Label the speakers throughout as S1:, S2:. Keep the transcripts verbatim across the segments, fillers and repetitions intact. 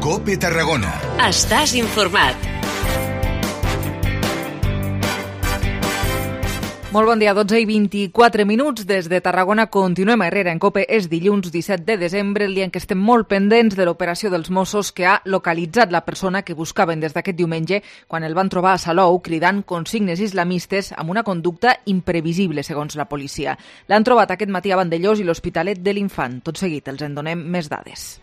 S1: COPE Tarragona.
S2: Estàs informat.
S3: Molt bon dia, dotze i vint-i-quatre minuts. Des de Tarragona continuem a Herrera en COPE. És dilluns disset de desembre, el dia en què estem molt pendents de l'operació dels Mossos que ha localitzat la persona que buscaven des d'aquest diumenge quan el van trobar a Salou cridant consignes islamistes amb una conducta imprevisible, segons la policia. L'han trobat aquest matí a Vandellós i l'Hospitalet de l'Infant. Tot seguit els en donem més dades.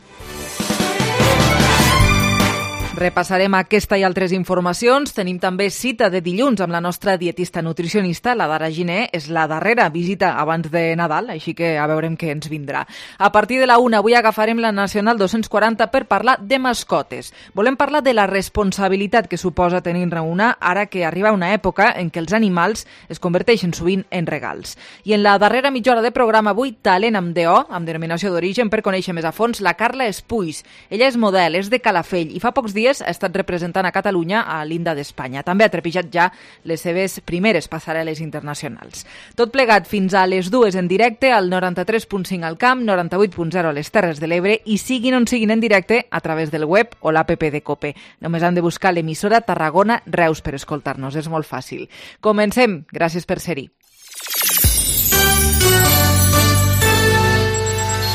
S3: Repassarem aquesta i altres informacions. Tenim també cita de dilluns amb la nostra dietista nutricionista, la Dara Giner. És la darrera visita abans de Nadal, així que a veurem què ens vindrà. A partir de la una, avui agafarem la Nacional dos-cents quaranta per parlar de mascotes. Volem parlar de la responsabilitat que suposa tenir-ne una ara que arriba una època en què els animals es converteixen sovint en regals. I en la darrera mitja hora de programa avui, talent amb D O, amb denominació d'origen, per conèixer més a fons la Carla Espuis. Ella és model, és de Calafell i fa pocs dies ha estat representant a Catalunya a l'Inda d'Espanya. També ha trepitjat ja les seves primeres passarel·les internacionals. Tot plegat fins a les dues en directe al noranta-tres punt cinc al Camp, noranta-vuit punt zero a les Terres de l'Ebre i siguin on siguin en directe a través del web o l'app de COPE. Només han de buscar l'emissora Tarragona Reus per escoltar-nos. És molt fàcil. Comencem. Gràcies per ser-hi.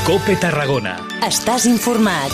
S4: COPE Tarragona.
S2: Estàs informat.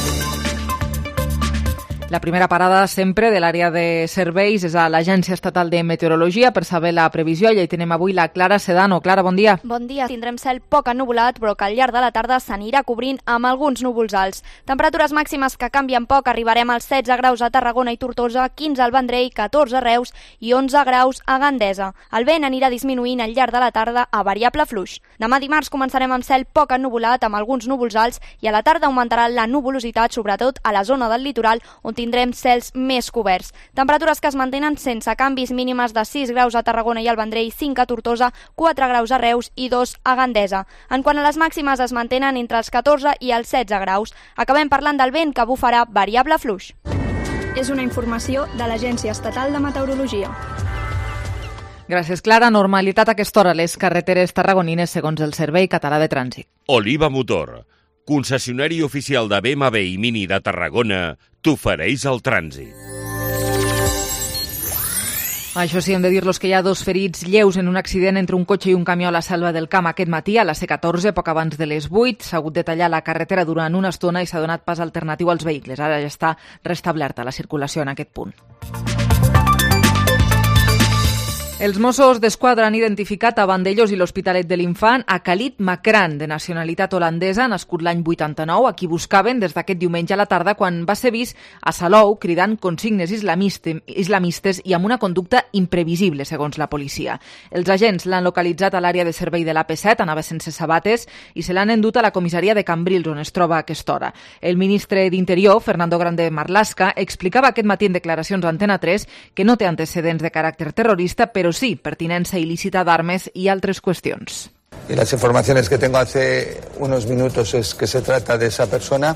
S3: La primera parada sempre de l'àrea de serveis és a l'Agència Estatal de Meteorologia per saber la previsió. I hi tenem avui la Clara Sedano. Clara, bon dia.
S5: Bon dia. Tindrem cel poc ennuvolat, però que al llarg de la tarda s'anirà cobrint amb alguns núvols alts. Temperatures màximes que canvien poc. Arribarem als setze graus a Tarragona i Tortosa, quinze al Vendrell, catorze a Reus i onze graus a Gandesa. El vent anirà disminuint al llarg de la tarda a variable fluix. Demà dimarts començarem amb cel poc ennuvolat, amb alguns núvols alts, i a la tarda augmentarà la nuvolositat, sobretot a la zona del litoral, on tindrem cels més coberts. Temperatures que es mantenen sense canvis, mínimes de sis graus a Tarragona i al Vendrell, cinc a Tortosa, quatre graus a Reus i dos a Gandesa. En quant a les màximes, es mantenen entre els catorze i els setze graus. Acabem parlant del vent, que bufarà variable fluix.
S6: És una informació de l'Agència Estatal de Meteorologia.
S3: Gràcies, Clara. Normalitat a aquesta hora a les carreteres tarragonines, segons el Servei Català de Trànsit.
S7: Oliva Motor, concessionari oficial de B M W i Mini de Tarragona, t'ofereix el trànsit.
S3: Això sí, hem de dir-los que hi ha dos ferits lleus en un accident entre un cotxe i un camió a la Selva del Camp aquest matí, a la C catorze, poc abans de les vuit. S'ha hagut de tallar la carretera durant una estona i s'ha donat pas alternatiu als vehicles. Ara ja està restablerta la circulació en aquest punt. Els Mossos d'Esquadra han identificat a Vandellós i l'Hospitalet de l'Infant a Khalid Makran, de nacionalitat holandesa, nascut l'any vuitanta-nou, a qui buscaven des d'aquest diumenge a la tarda quan va ser vist a Salou cridant consignes islamistes i amb una conducta imprevisible, segons la policia. Els agents l'han localitzat a l'àrea de servei de l'A P set, anava sense sabates, i se l'han endut a la comissaria de Cambrils, on es troba a aquesta hora. El ministre d'Interior, Fernando Grande Marlaska, explicava aquest matí en declaracions a Antena tres que no té antecedents de caràcter terrorista, però Pero sí, pertinencia ilícita de armas y otras cuestiones.
S8: Y las informaciones que tengo hace unos minutos es que se trata de esa persona.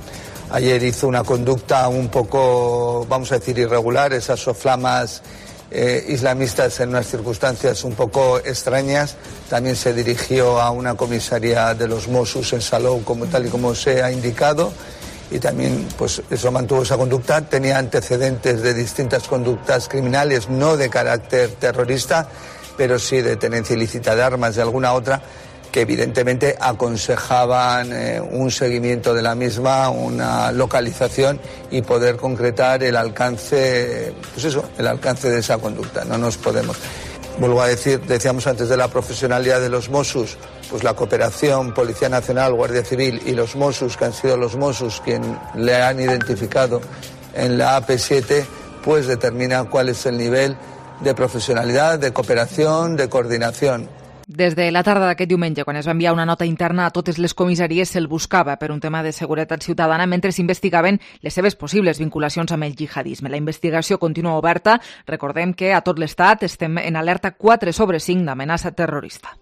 S8: Ayer hizo una conducta un poco, vamos a decir, irregular, esas soflamas eh, islamistas en unas circunstancias un poco extrañas. También se dirigió a una comisaría de los Mossos en Salou, como tal y como se ha indicado. Y también, pues, eso mantuvo esa conducta. Tenía antecedentes de distintas conductas criminales, no de carácter terrorista, pero sí de tenencia ilícita de armas, de alguna otra, que evidentemente aconsejaban eh, un seguimiento de la misma, una localización y poder concretar el alcance, pues eso, el alcance de esa conducta. No nos podemos. Vuelvo a decir, decíamos antes de la profesionalidad de los Mossos, pues la cooperación Policía Nacional, Guardia Civil y los Mossos, que han sido los Mossos quien le han identificado en la A P siete, pues determina cuál es el nivel de profesionalidad, de cooperación, de coordinación.
S3: Des de la tarda d'aquest diumenge, quan es va enviar una nota interna a totes les comissaries, se'l buscava per un tema de seguretat ciutadana mentre s'investigaven les seves possibles vinculacions amb el jihadisme. La investigació continua oberta. Recordem que a tot l'estat estem en alerta quatre sobre cinc d'amenaça terrorista.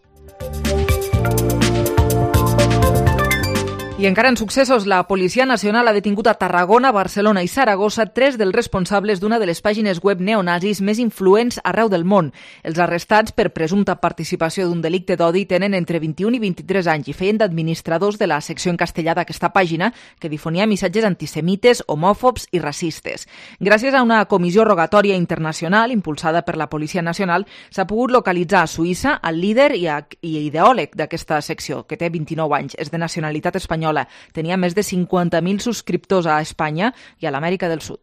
S3: I encara en successos, la Policia Nacional ha detingut a Tarragona, Barcelona i Saragossa tres dels responsables d'una de les pàgines web neonazis més influents arreu del món. Els arrestats per presumpta participació d'un delicte d'odi tenen entre vint-i-un i vint-i-tres anys i feien d'administradors de la secció en castellà d'aquesta pàgina que difonia missatges antisemites, homòfobs i racistes. Gràcies a una comissió rogatòria internacional impulsada per la Policia Nacional s'ha pogut localitzar a Suïssa el líder i, a, i ideòleg d'aquesta secció, que té vint-i-nou anys, és de nacionalitat espanyola. Tenia més de cinquanta mil subscriptors a Espanya i a l'Amèrica del Sud.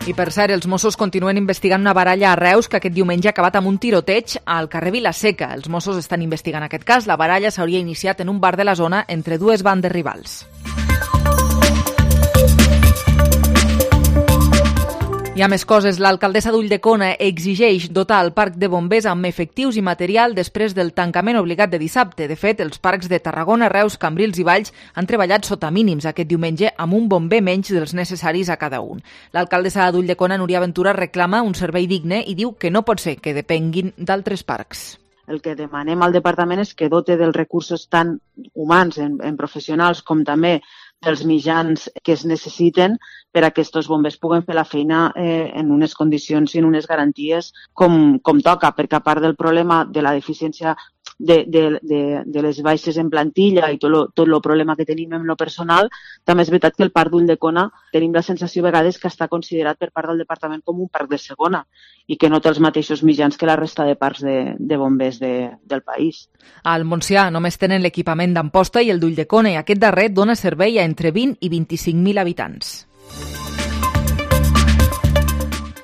S3: I per cert, els Mossos continuen investigant una baralla a Reus que aquest diumenge ha acabat amb un tiroteig al carrer Vilaseca. Els Mossos estan investigant aquest cas. La baralla s'hauria iniciat en un bar de la zona entre dues bandes rivals. Hi ha més coses. L'alcaldessa d'Ulldecona exigeix dotar el parc de bombers amb efectius i material després del tancament obligat de dissabte. De fet, els parcs de Tarragona, Reus, Cambrils i Valls han treballat sota mínims aquest diumenge amb un bomber menys dels necessaris a cada un. L'alcaldessa d'Ulldecona, Núria Ventura, reclama un servei digne i diu que no pot ser que depenguin d'altres parcs.
S1: El que demanem al departament és que dote dels recursos tant humans en, en professionals com també dels mitjans que es necessiten per a que aquests bombers puguen fer la feina eh, en unes condicions i en unes garanties com, com toca, perquè a part del problema de la deficiència de, de, de, de les baixes en plantilla i tot lo, tot el problema que tenim en lo personal, també és veritat que el parc d'Ulldecona tenim la sensació a vegades que està considerat per part del departament com un parc de segona i que no té els mateixos mitjans que la resta de parcs de, de bombers de, del país.
S3: Al Montsià només tenen l'equipament d'Amposta i el d'Ulldecona i aquest darrer dona servei a entre vint i vint-i-cinc mil habitants.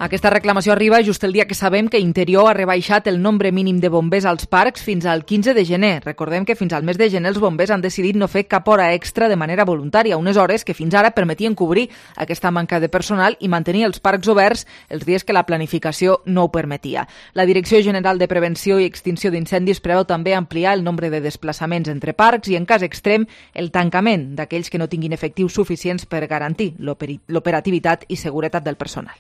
S3: Aquesta reclamació arriba just el dia que sabem que Interior ha rebaixat el nombre mínim de bombers als parcs fins al quinze de gener. Recordem que fins al mes de gener els bombers han decidit no fer cap hora extra de manera voluntària, unes hores que fins ara permetien cobrir aquesta manca de personal i mantenir els parcs oberts els dies que la planificació no ho permetia. La Direcció General de Prevenció i Extinció d'Incendis preveu també ampliar el nombre de desplaçaments entre parcs i, en cas extrem, el tancament d'aquells que no tinguin efectius suficients per garantir l'operativitat i seguretat del personal.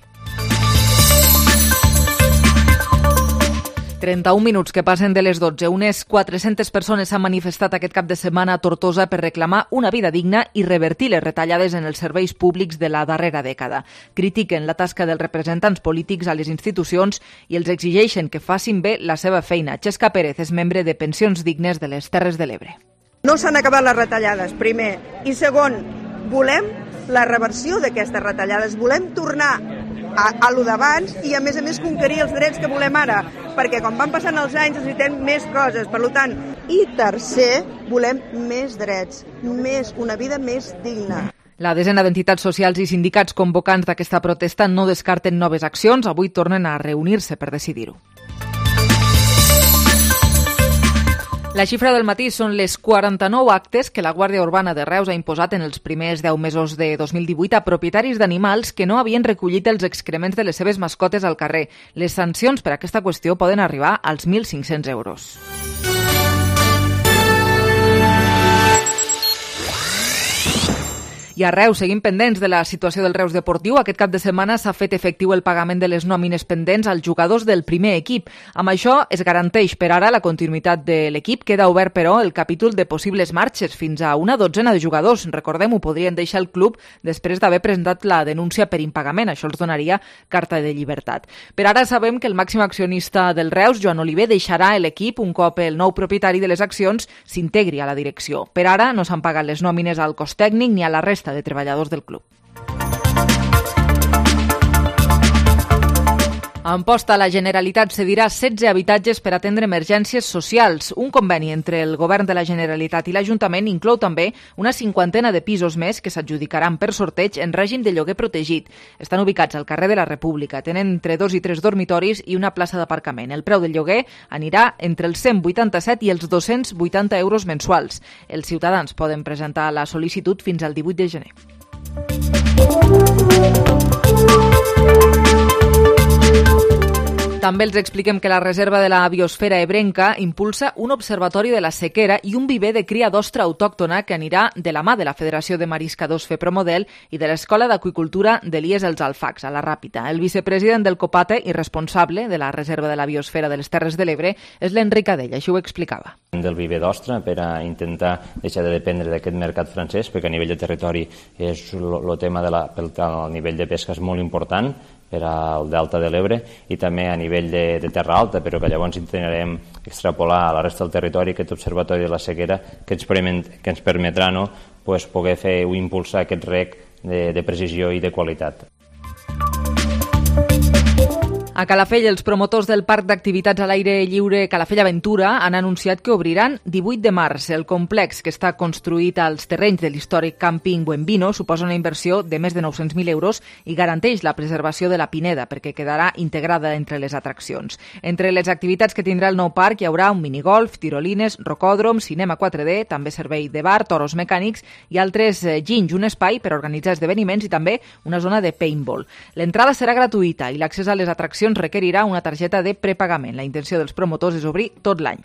S3: trenta-un minuts que passen de les dotze. Unes quatre-centes persones s'han manifestat aquest cap de setmana a Tortosa per reclamar una vida digna i revertir les retallades en els serveis públics de la darrera dècada. Critiquen la tasca dels representants polítics a les institucions i els exigeixen que facin bé la seva feina. Xesca Pérez és membre de Pensions Dignes de les Terres de l'Ebre.
S4: No s'han acabat les retallades, primer. I segon, volem la reversió d'aquestes retallades. Volem tornar a, a lo d'abans i, a més a més, conquerir els drets que volem ara, perquè quan van passant els anys necessitem més coses, per tant. I tercer, volem més drets, més, una vida més digna.
S3: La desena d'entitats socials i sindicats convocants d'aquesta protesta no descarten noves accions. Avui tornen a reunir-se per decidir-ho. La xifra del matí són les quaranta-nou actes que la Guàrdia Urbana de Reus ha imposat en els primers deu mesos de dos mil divuit a propietaris d'animals que no havien recollit els excrements de les seves mascotes al carrer. Les sancions per aquesta qüestió poden arribar als mil cinc-cents euros. I a Reus seguim pendents de la situació del Reus Deportiu. Aquest cap de setmana s'ha fet efectiu el pagament de les nòmines pendents als jugadors del primer equip. Amb això es garanteix per ara la continuïtat de l'equip. Queda obert, però, el capítol de possibles marxes fins a una dotzena de jugadors. Recordem, ho podrien deixar el club després d'haver presentat la denúncia per impagament. Això els donaria carta de llibertat. Per ara sabem que el màxim accionista del Reus, Joan Oliver, deixarà l'equip un cop el nou propietari de les accions s'integri a la direcció. Per ara no s'han pagat les nòmines al cos tècnic ni a la resta de treballadors del club. A Amposta, la Generalitat cedirà setze habitatges per atendre emergències socials. Un conveni entre el Govern de la Generalitat i l'Ajuntament inclou també una cinquantena de pisos més que s'adjudicaran per sorteig en règim de lloguer protegit. Estan ubicats al carrer de la República. Tenen entre dos i tres dormitoris i una plaça d'aparcament. El preu del lloguer anirà entre els cent vuitanta-set i els dos-cents vuitanta euros mensuals. Els ciutadans poden presentar la sol·licitud fins al divuit de gener. També els expliquem que la Reserva de la Biosfera Ebrenca impulsa un observatori de la sequera i un viver de cria d'ostra autòctona que anirà de la mà de la Federació de Mariscadors Fepromodel i de l'Escola d'Aqüicultura d'Elies els Alfacs, a la Ràpita. El vicepresident del COPATE i responsable de la Reserva de la Biosfera de les Terres de l'Ebre és l'Enric Adell, així ho explicava.
S9: Del viver d'ostra per a intentar deixar de dependre d'aquest mercat francès, perquè a nivell de territori és el tema del nivell de pesca és molt important per al delta de l'Ebre i també a nivell de, de terra alta, però que llavors intentarem extrapolar a la resta del territori aquest observatori de la sequera que ens, permet, que ens permetrà no, pues, poder fer o impulsar aquest rec de, de precisió i de qualitat.
S3: A Calafell, els promotors del Parc d'Activitats a l'aire lliure Calafell Aventura han anunciat que obriran divuit de març. El complex, que està construït als terrenys de l'històric càmping Buenvino, suposa una inversió de més de nou-cents mil euros i garanteix la preservació de la pineda, perquè quedarà integrada entre les atraccions. Entre les activitats que tindrà el nou parc hi haurà un minigolf, tirolines, rocòdrom, cinema quatre D, també servei de bar, toros mecànics i altres ginys, un espai per organitzar esdeveniments i també una zona de paintball. L'entrada serà gratuïta i l'accés a les atraccions requerirà una targeta de prepagament. La intenció dels promotors és obrir tot l'any.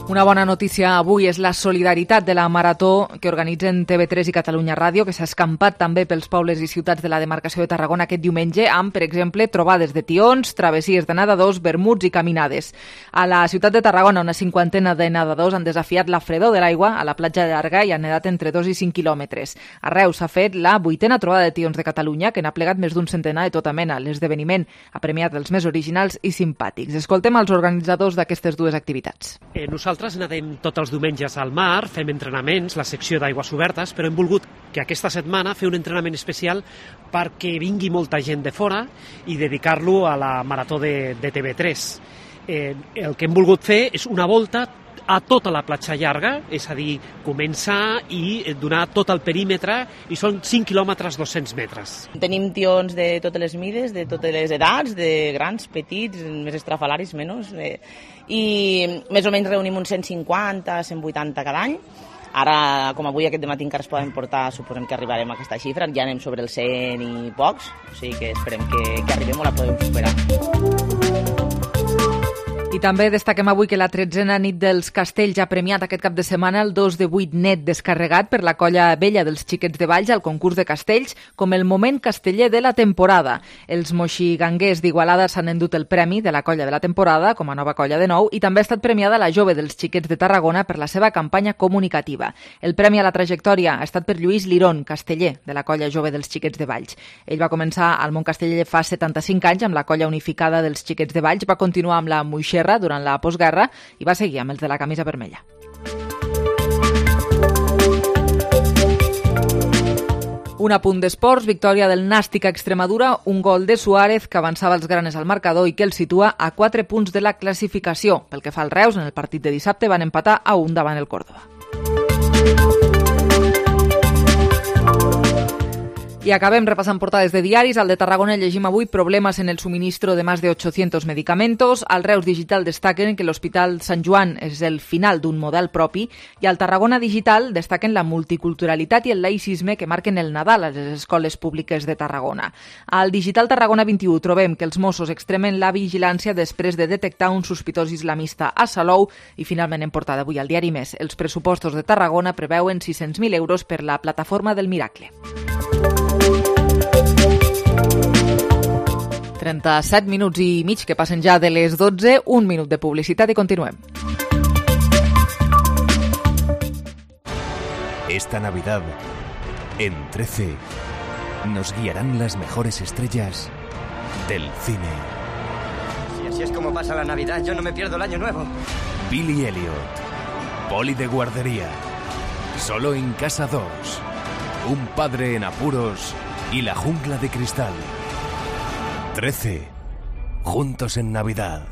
S3: Una bona notícia avui és la solidaritat de la marató que organitzen T V tres i Catalunya Ràdio, que s'ha escampat també pels pobles i ciutats de la demarcació de Tarragona aquest diumenge amb, per exemple, trobades de tions, travessies de nedadors, vermuts i caminades. A la ciutat de Tarragona, una cinquantena de nedadors han desafiat la fredor de l'aigua a la platja llarga i han nedat entre dos i cinc quilòmetres. A Reus s'ha fet la vuitena trobada de tions de Catalunya, que n'ha plegat més d'un centenar de tota mena. L'esdeveniment ha premiat els més originals i simpàtics. Escoltem els organitzadors d'aquestes dues activitats.
S10: Eh, nosaltres Nosaltres nedem tots els diumenges al mar, fem entrenaments, la secció d'aigües obertes, però hem volgut que aquesta setmana fer un entrenament especial perquè vingui molta gent de fora i dedicar-lo a la marató de, de T V tres. Eh, el que hem volgut fer és una volta a tota la platja llarga, és a dir, començar i donar tot el perímetre, i són cinc quilòmetres dos-cents metres.
S11: Tenim tions de totes les mides, de totes les edats, de grans, petits, més estrafalaris, menys, eh, i més o menys reunim uns cent cinquanta, cent vuitanta cada any. Ara, com avui aquest dematí encara es poden portar, suposem que arribarem a aquesta xifra, ja anem sobre els cent i pocs, o sigui que esperem que, que arribem o la podem superar.
S3: I també destaquem avui que la tretzena nit dels Castells ha premiat aquest cap de setmana el dos de vuit net descarregat per la colla vella dels Xiquets de Valls al concurs de castells com el moment casteller de la temporada. Els moxiganguers d'Igualada s'han endut el premi de la colla de la temporada com a nova colla de nou i també ha estat premiada la jove dels Xiquets de Tarragona per la seva campanya comunicativa. El premi a la trajectòria ha estat per Lluís Lirón, casteller de la colla jove dels Xiquets de Valls. Ell va començar al món casteller fa setanta-cinc anys amb la colla unificada dels Xiquets de Valls, va continuar amb la Moixer durant la postguerra i va seguir amb els de la camisa vermella. Un apunt d'esports, victòria del Nàstic a Extremadura, un gol de Suárez que avançava els granes al marcador i que el situa a quatre punts de la classificació. Pel que fa al Reus, en el partit de dissabte van empatar a un davant el Córdoba. I acabem repassant portades de diaris. Al de Tarragona llegim avui problemes en el suministro de más de ochocientos medicamentos. Al Reus Digital destaquen que l'Hospital Sant Joan és el final d'un model propi i al Tarragona Digital destaquen la multiculturalitat i el laïcisme que marquen el Nadal a les escoles públiques de Tarragona. Al Digital Tarragona vint-i-u trobem que els Mossos extremen la vigilància després de detectar un sospitós islamista a Salou i finalment en portada avui al diari Més. Els pressupostos de Tarragona preveuen sis-cents mil euros per la plataforma del Miracle. trenta-set minuts i mig que passen ja de les dotze, un minut de publicitat i continuem.
S12: Esta Navidad, en trece, nos guiarán las mejores estrellas del cine.
S13: Si así es como pasa la Navidad, yo no me pierdo el año nuevo.
S12: Billy Elliot, Poli de guardería, Solo en casa dos, Un padre en apuros y La jungla de cristal. trece. Juntos en Navidad.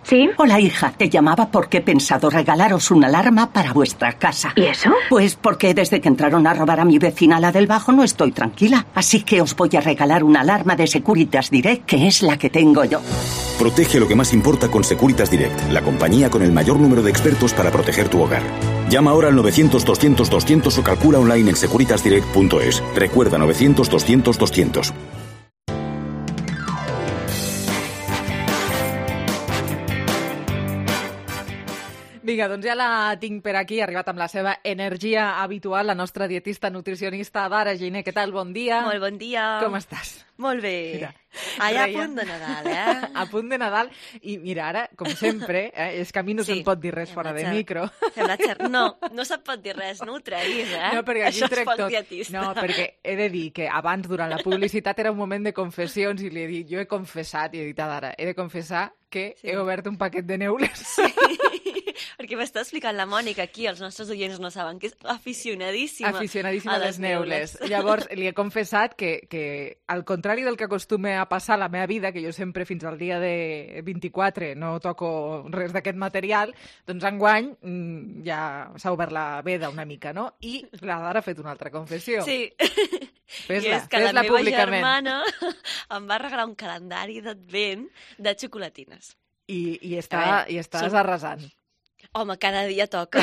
S14: ¿Sí? Hola, hija. Te llamaba porque he pensado regalaros una alarma para vuestra casa.
S15: ¿Y eso?
S14: Pues porque desde que entraron a robar a mi vecina, la del Bajo, no estoy tranquila. Así que os voy a regalar una alarma de Securitas Direct, que es la que tengo yo.
S16: Protege lo que más importa con Securitas Direct, la compañía con el mayor número de expertos para proteger tu hogar.
S15: Llama ahora al novecientos doscientos doscientos o calcula online en securitasdirect punto es. Recuerda novecientos doscientos doscientos.
S3: Vinga, doncs ja la tinc per aquí, ha arribat amb la seva energia habitual, la nostra dietista nutricionista Dara Giner. Què tal? Bon dia.
S16: Molt bon dia.
S3: Com estàs?
S16: Molt bé.
S3: Mira,
S16: Allà
S3: reia.
S16: a punt de Nadal, eh?
S3: A punt de Nadal. I mira, ara, com sempre, eh, és que a mi no
S16: Sí.
S3: se'm pot dir res fora de
S16: Xer-
S3: micro.
S16: Fem la xer... No, no se't pot dir res, no ho treguis, eh?
S3: No, perquè aquí
S16: Això
S3: trec
S16: és pel
S3: tot.
S16: dietista.
S3: No, perquè he de dir que abans, durant la publicitat, era un moment de confessions i li he dit, jo he confessat, i he dit a Dara, he de confessar que sí. he obert un paquet de neules. Sí.
S16: Perquè m'està explicant la Mònica aquí, els nostres oients no saben, que és aficionadíssima,
S3: Aficionadíssima a les neules. Llavors, li he confessat que, que, al contrari del que acostuma a passar a la meva vida, que jo sempre fins al dia de vint-i-quatre no toco res d'aquest material, doncs enguany mm, ja s'ha obert la veda una mica, no? I la Dara ha fet una altra confessió.
S16: Sí.
S3: Fes-la,
S16: I és que la
S3: fes-la
S16: meva
S3: públicament.
S16: germana em va regalar un calendari d'advent de xocolatines.
S3: I, i, està, i estàs
S16: som-
S3: arrasant.
S16: Home, cada dia toca.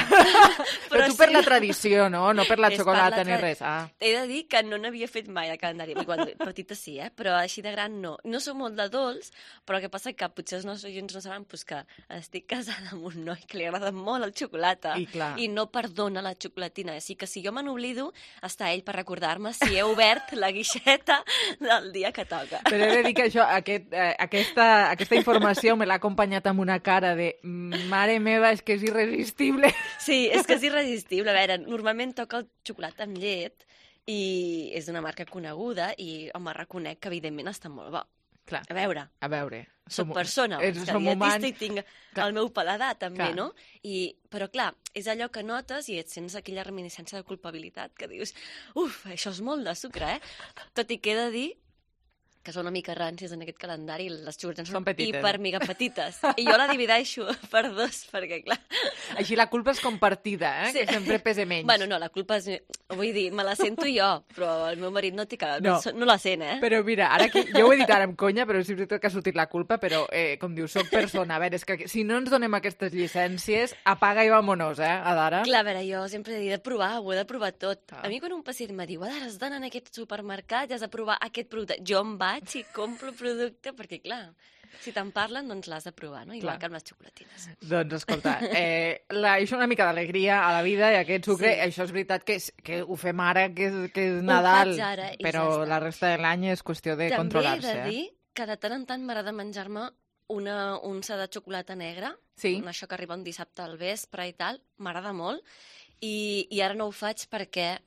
S3: Però tu per la tradició, no? No per la
S16: És
S3: xocolata
S16: per
S3: ni
S16: la tra-
S3: res. Ah.
S16: He de dir que no n'havia fet mai de calendari. Quan petita sí, eh? Però així de gran no. No soc molt de dolç, però el que passa que potser els nostres oients no saben pues, que estic casada amb un noi que li agrada molt el xocolata
S3: I clar.
S16: i no perdona la xocolatina. Així que si jo me n'oblido, està ell per recordar-me si he obert la guixeta del dia que toca.
S3: Però he de dir que això, aquest, eh, aquesta, aquesta informació me l'ha acompanyat amb una cara de mare meva, és que és irresistible.
S16: Sí, és que és irresistible. A veure, normalment toca el xocolata amb llet i és d'una marca coneguda i, home, reconec que evidentment està molt bo.
S3: Clar.
S16: A veure,
S3: A veure.
S16: soc persona,
S3: és,
S16: és que
S3: som
S16: dietista
S3: humans.
S16: i tinc el meu paladar també,
S3: Clar.
S16: no? I, però clar, és allò que notes i et sents aquella reminiscència de culpabilitat que dius, uf, això és molt de sucre, eh? Tot i que he de dir que són una mica rancis en aquest calendari, les xocolatines són,
S3: Són petites.
S16: hiper mega petites. I jo la divideixo per dos, perquè clar...
S3: Així la culpa és compartida, eh?
S16: Sí.
S3: Que sempre pese menys.
S16: Bueno, no, la culpa és... Vull dir, me la sento jo, però el meu marit no, té que...
S3: No.
S16: no. no la sent, eh?
S3: Però mira, ara aquí, jo ho he dit ara amb conya, però és veritat que ha sortit la culpa, però, eh, com diu, soc persona. A veure, és que si no ens donem aquestes llicències, apaga i vámonos, eh, Adara?
S16: Clar, a veure, jo sempre he dit de provar, ho he de provar tot. Ah. A mi quan un pacient me diu, Adara, has d'anar en aquest supermercat i has de provar aquest producte, jo em vaig i compro el producte, perquè clar, si te'n parlen, doncs l'has de provar, no? Igual
S3: Clar.
S16: que amb les xocolatines.
S3: Doncs escolta, eh, la, això una mica d'alegria a la vida i aquest sucre,
S16: Sí.
S3: això és veritat que, és, que ho fem ara, que és, que és
S16: Ho
S3: Nadal,
S16: faig ara i
S3: però
S16: ja està.
S3: la resta de l'any és qüestió de
S16: També he
S3: controlar-se.
S16: de dir
S3: Eh?
S16: que de tant en tant m'agrada menjar-me una unça de xocolata negra,
S3: Sí.
S16: una això que arriba un dissabte al vespre i tal, m'agrada molt, i, i ara no ho faig perquè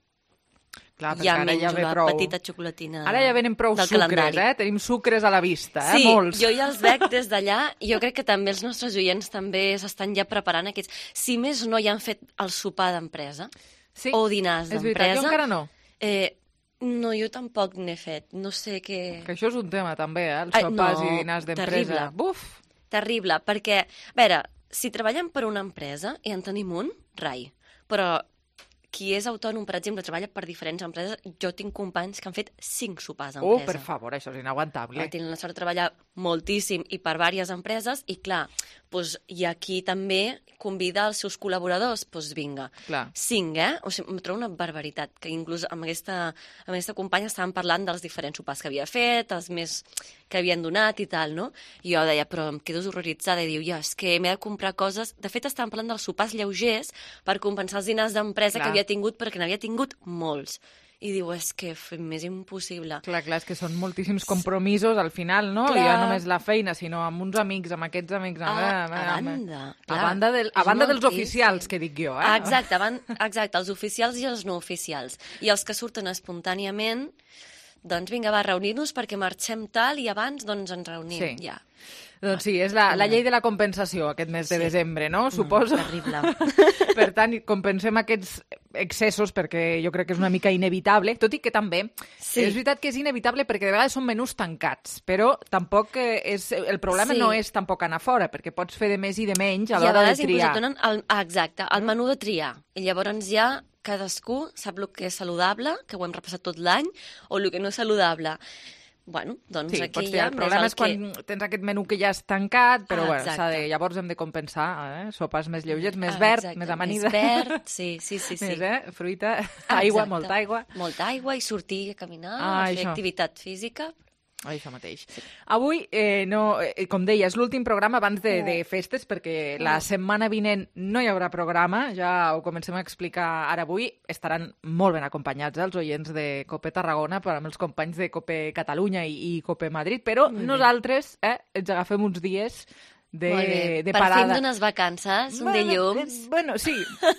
S3: Clar, perquè
S16: ja
S3: ara
S16: menjo
S3: ja ve
S16: la
S3: prou...
S16: petita xocolatina
S3: Ara ja venen prou
S16: del
S3: sucres,
S16: calendari.
S3: eh? Tenim sucres a la vista, eh?
S16: Sí,
S3: Molts.
S16: jo ja els veig des d'allà i jo crec que també els nostres oients també s'estan ja preparant aquests... Si més no, ja han fet el sopar d'empresa
S3: sí,
S16: o dinars
S3: és veritat,
S16: d'empresa.
S3: jo encara no.
S16: Eh, no, jo tampoc n'he fet. No sé què...
S3: Que això és un tema també, eh? Els
S16: Ai,
S3: sopars
S16: no,
S3: i dinars d'empresa.
S16: terrible.
S3: Buf!
S16: Terrible, perquè, a veure, si treballem per una empresa i en tenim un, rai. Però qui és autònom, per exemple, treballa per diferents empreses, jo tinc companys que han fet cinc sopars
S3: Oh,
S16: d'empresa.
S3: per favor, això és inaguantable.
S16: Ah, tenen la sort de treballar moltíssim i per diverses empreses i, clar, doncs, i aquí també convida els seus col·laboradors, doncs vinga.
S3: Clar.
S16: Cinc, eh? O sigui, em trobo una barbaritat, que inclús amb aquesta, amb aquesta companya estàvem parlant dels diferents sopars que havia fet, els més que havien donat i tal, no? I jo deia, però em quedo horroritzada, i diu, ja, és que m'he de comprar coses... De fet, estàvem parlant dels sopars lleugers per compensar els dinars d'empresa
S3: Clar.
S16: que havia tingut, perquè n'havia tingut molts. I diu, és que f- m'és impossible.
S3: Clar, clar, és que són moltíssims compromisos al final, no?
S16: Clar.
S3: I ja només la feina, sinó amb uns amics, amb aquests amics... Amb,
S16: Ah,
S3: amb,
S16: a
S3: amb,
S16: banda,
S3: a
S16: clar,
S3: banda, del, a
S16: és
S3: banda dels
S16: moltíssim.
S3: oficials, que dic jo, eh?
S16: Ah, exacte, van, exacte, els oficials i els no oficials. I els que surten espontàniament, doncs vinga, va, reunir-nos perquè marxem tal i abans doncs ens reunim,
S3: Sí.
S16: ja.
S3: Doncs sí, és la, la llei de la compensació aquest mes de
S16: Sí.
S3: desembre, no? Suposo.
S16: terrible.
S3: Per tant, compensem aquests excessos perquè jo crec que és una mica inevitable, tot i que també
S16: Sí.
S3: és veritat que és inevitable perquè de vegades són menús tancats, però tampoc eh, és, el problema
S16: Sí.
S3: no és tampoc anar fora, perquè pots fer de més i de menys a
S16: I a
S3: l'hora de
S16: vegades inclús
S3: triar.
S16: et donen el, ah, exacte, el menú de triar. I llavors ja cadascú sap el que és saludable, que ho hem repassat tot l'any, o el que no és saludable. bueno, doncs
S3: sí,
S16: aquí
S3: pots
S16: ja...
S3: El problema és quan
S16: que...
S3: tens aquest menú que ja és tancat, però
S16: ah,
S3: bueno, de, llavors hem de compensar, eh? Sopes més lleugers, més
S16: ah,
S3: verd,
S16: exacte.
S3: més amanida.
S16: Més verd, sí, sí, sí. sí.
S3: Més, eh? Fruita,
S16: ah,
S3: aigua, molta aigua.
S16: Molta aigua i sortir a caminar,
S3: ah,
S16: a fer
S3: això.
S16: activitat física.
S3: Això mateix. Sí. Avui, eh, no, eh, com deia, és l'últim programa abans de, de festes, perquè oh. la setmana vinent no hi haurà programa, ja ho comencem a explicar ara avui. Estaran molt ben acompanyats eh, els oients de Cope Tarragona, però amb els companys de Cope Catalunya i, i Cope Madrid, però mm. nosaltres eh, ens agafem uns dies de, de parada.
S16: Per fi d'unes vacances, un
S3: bueno,
S16: dilluns.
S3: Eh, bueno, sí,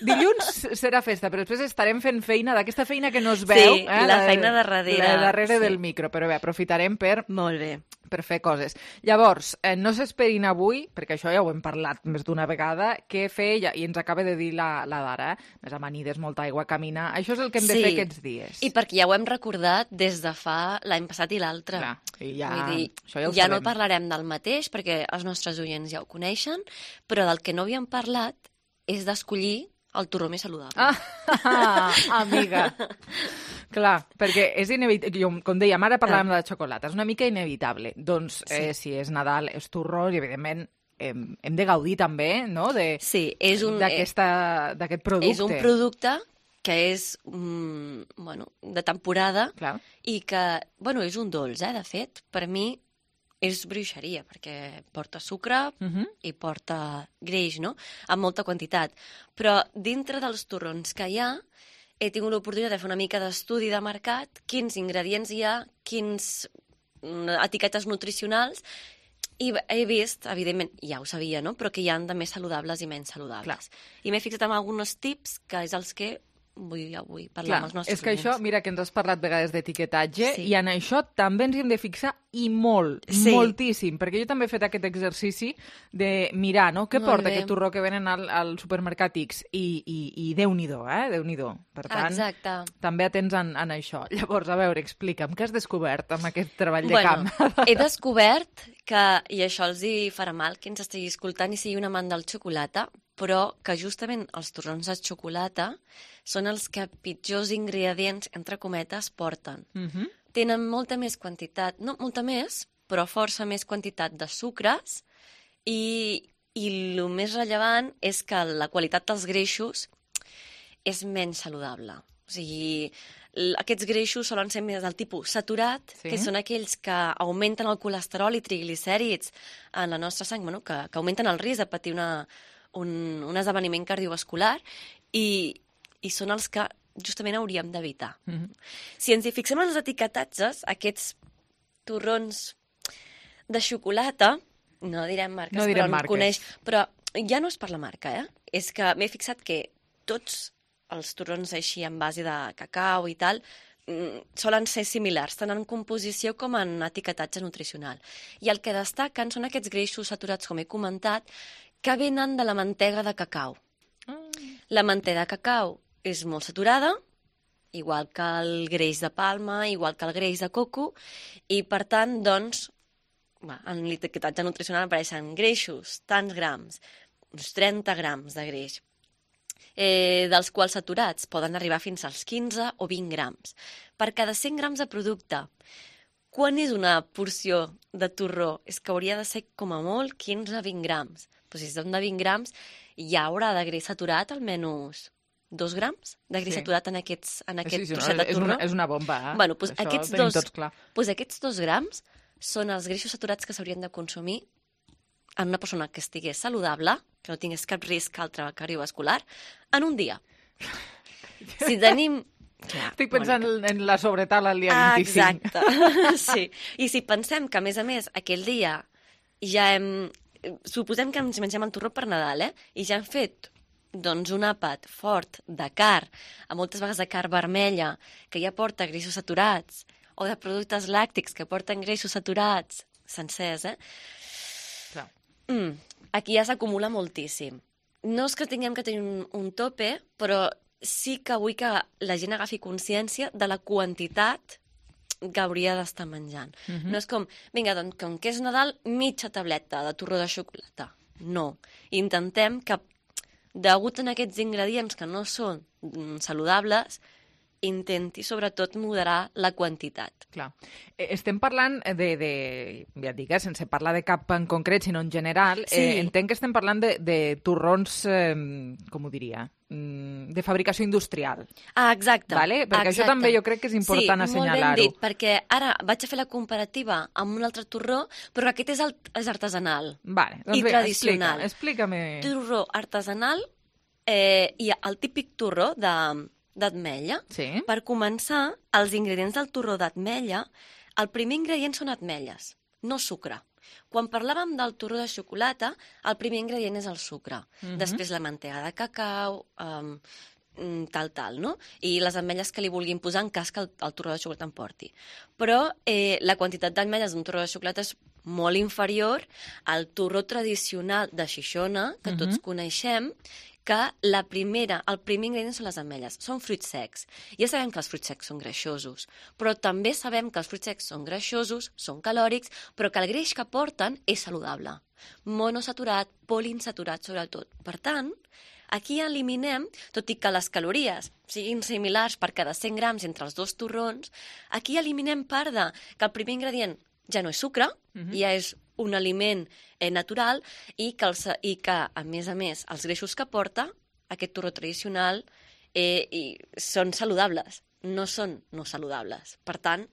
S3: dilluns serà festa, però després estarem fent feina d'aquesta feina que no es veu.
S16: Sí, eh, la feina de darrere.
S3: La darrere
S16: sí.
S3: del micro, però bé, aprofitarem per...
S16: Molt bé.
S3: per fer coses. Llavors, eh, no s'esperin avui, perquè això ja ho hem parlat més d'una vegada, què fer, ja, i ens acaba de dir la, la Dara, eh? Més amanides, molta aigua, caminar... Això és el que hem
S16: sí.
S3: de fer aquests dies.
S16: I perquè ja ho hem recordat des de fa l'any passat i l'altre.
S3: I ja,
S16: Vull dir,
S3: això ja ho
S16: ja
S3: sabem.
S16: no parlarem del mateix, perquè els nostres oients ja ho coneixen, però del que no havíem parlat és d'escollir el torró més saludable.
S3: Ah, amiga. Clar, perquè és inevitable, com dèiem, ara parlàvem de la xocolata, és una mica inevitable. Doncs sí. eh, si és Nadal, és torró, i evidentment hem, hem de gaudir també, no?, de,
S16: sí, és un,
S3: d'aquest producte.
S16: És un producte que és mm, bueno, de temporada.
S3: Clar.
S16: I que, bueno, és un dolç, eh, de fet, per mi és bruixeria, perquè porta sucre uh-huh. i porta greix, no?, amb molta quantitat. Però dintre dels torrons que hi ha, he tingut l'oportunitat de fer una mica d'estudi de mercat, quins ingredients hi ha, quins etiquetes nutricionals, i he vist, evidentment, ja ho sabia, no?, però que hi ha de més saludables i menys saludables. Clar. I m'he fixat en alguns tips, que és els que vull avui parlar
S3: Clar,
S16: amb els nostres
S3: és que
S16: clients.
S3: això, mira que ens has parlat vegades d'etiquetatge,
S16: sí.
S3: i en això també ens hi hem de fixar, i molt,
S16: sí.
S3: moltíssim, perquè jo també he fet aquest exercici de mirar, no?, què
S16: molt
S3: porta
S16: bé.
S3: aquest torró que venen al, al supermercat X, i, i, i Déu-n'hi-do, eh, Déu-n'hi-do. Per tant,
S16: exacte.
S3: també atents en, en això. Llavors, a veure, explica'm, què has descobert amb aquest treball
S16: bueno,
S3: de camp?
S16: He descobert que, i això els hi farà mal, qui ens estigui escoltant i sigui un amant del xocolata, però que justament els torrons de xocolata són els que pitjors ingredients, entre cometes, porten.
S3: Uh-huh.
S16: Tenen molta més quantitat, no molta més, però força més quantitat de sucres i, i el més rellevant és que la qualitat dels greixos és menys saludable. O sigui, aquests greixos solen ser més del tipus saturat, sí. que són aquells que augmenten el colesterol i triglicèrids en la nostra sang, bueno, que, que augmenten el risc de patir una, un, un esdeveniment cardiovascular i, i són els que justament hauríem d'evitar. Mm-hmm. Si ens hi fixem en els etiquetatges, aquests torrons de xocolata, no direm marques,
S3: no direm
S16: però
S3: marques.
S16: Coneix, però ja no és per la marca, eh? És que m'he fixat que tots els torrons així en base de cacau i tal solen ser similars, tant en composició com en etiquetatge nutricional. I el que destaquen són aquests greixos saturats, com he comentat, que venen de la mantega de cacau. Mm. La mantega de cacau és molt saturada, igual que el greix de palma, igual que el greix de coco, i per tant, doncs, en l'etiquetatge nutricional apareixen greixos, tants grams, uns trenta grams de greix, eh, dels quals saturats poden arribar fins als quinze o vint grams. Per cada cent grams de producte, quan és una porció de torró? És que hauria de ser com a molt quinze a vint grams. Però si són de vint grams, ja haurà de greix saturat almenys dos grams de greix sí. saturat en, aquests, en aquest sí, sí, trosset no, de torró.
S3: És una, és una bomba, eh?
S16: Bueno, doncs aquests, dos,
S3: clar.
S16: doncs aquests dos grams són els greixos saturats que s'haurien de consumir en una persona que estigués saludable, que no tingués cap risc altre cardiovascular, en un dia. Si tenim...
S3: Ja, Estic pensant bueno, en la sobretaula el dia
S16: ah,
S3: vint-i-cinc.
S16: Exacte, sí. I si pensem que, a més a més, aquell dia ja hem... Suposem que ens mengem el torró per Nadal, eh? I ja hem fet doncs, un àpat fort de carn, a moltes vegades de carn vermella, que ja porta greixos saturats, o de productes làctics que porten greixos saturats, sencers, eh?
S3: Clar.
S16: Mm, aquí ja s'acumula moltíssim. No és que tinguem que tenir un, un tope, però sí que vull que la gent agafi consciència de la quantitat que hauria d'estar menjant. Mm-hmm. No és com, vinga, doncs, com que és Nadal, mitja tableta de torró de xocolata. No. Intentem que, degut a aquests ingredients que no són mm, saludables, intenti sobretot moderar la quantitat.
S3: Clar. Estem parlant de, de ja et dic, eh, sense parlar de cap en concret, sinó en general, sí. eh, entenc que estem parlant de, de torrons, eh, com ho diria, de fabricació industrial.
S16: Ah, exacte.
S3: Vale? Perquè
S16: exacte.
S3: això també jo crec que és important
S16: sí,
S3: assenyalar-ho.
S16: Sí, molt ben dit, perquè ara vaig a fer la comparativa amb un altre torró, però aquest és, el, és artesanal
S3: vale, doncs
S16: i
S3: bé,
S16: tradicional.
S3: Explica, explica-me.
S16: Torró artesanal eh, i el típic torró de d'ametlla.
S3: Sí.
S16: Per començar, els ingredients del torró d'ametlla, el primer ingredient són ametlles, no sucre. Quan parlàvem del torró de xocolata, el primer ingredient és el sucre. Uh-huh. Després la mantega de cacau, um, tal, tal, no? I les ametlles que li vulguin posar en cas que el, el torró de xocolata en porti. Però eh, la quantitat d'ametlles d'un torró de xocolata és molt inferior al torró tradicional de Xixona, que uh-huh. tots coneixem, que la primera, el primer ingredient són les ametlles, són fruits secs. Ja sabem que els fruits secs són greixosos, però també sabem que els fruits secs són greixosos, són calòrics, però que el greix que porten és saludable. Monosaturat, poliinsaturat, sobretot. Per tant, aquí eliminem, tot i que les calories siguin similars per cada cent grams entre els dos torrons, aquí eliminem part de que el primer ingredient ja no és sucre, uh-huh. ja és un aliment eh, natural i que, els, i que, a més a més, els greixos que porta aquest torró tradicional eh, i són saludables, no són no saludables. Per tant,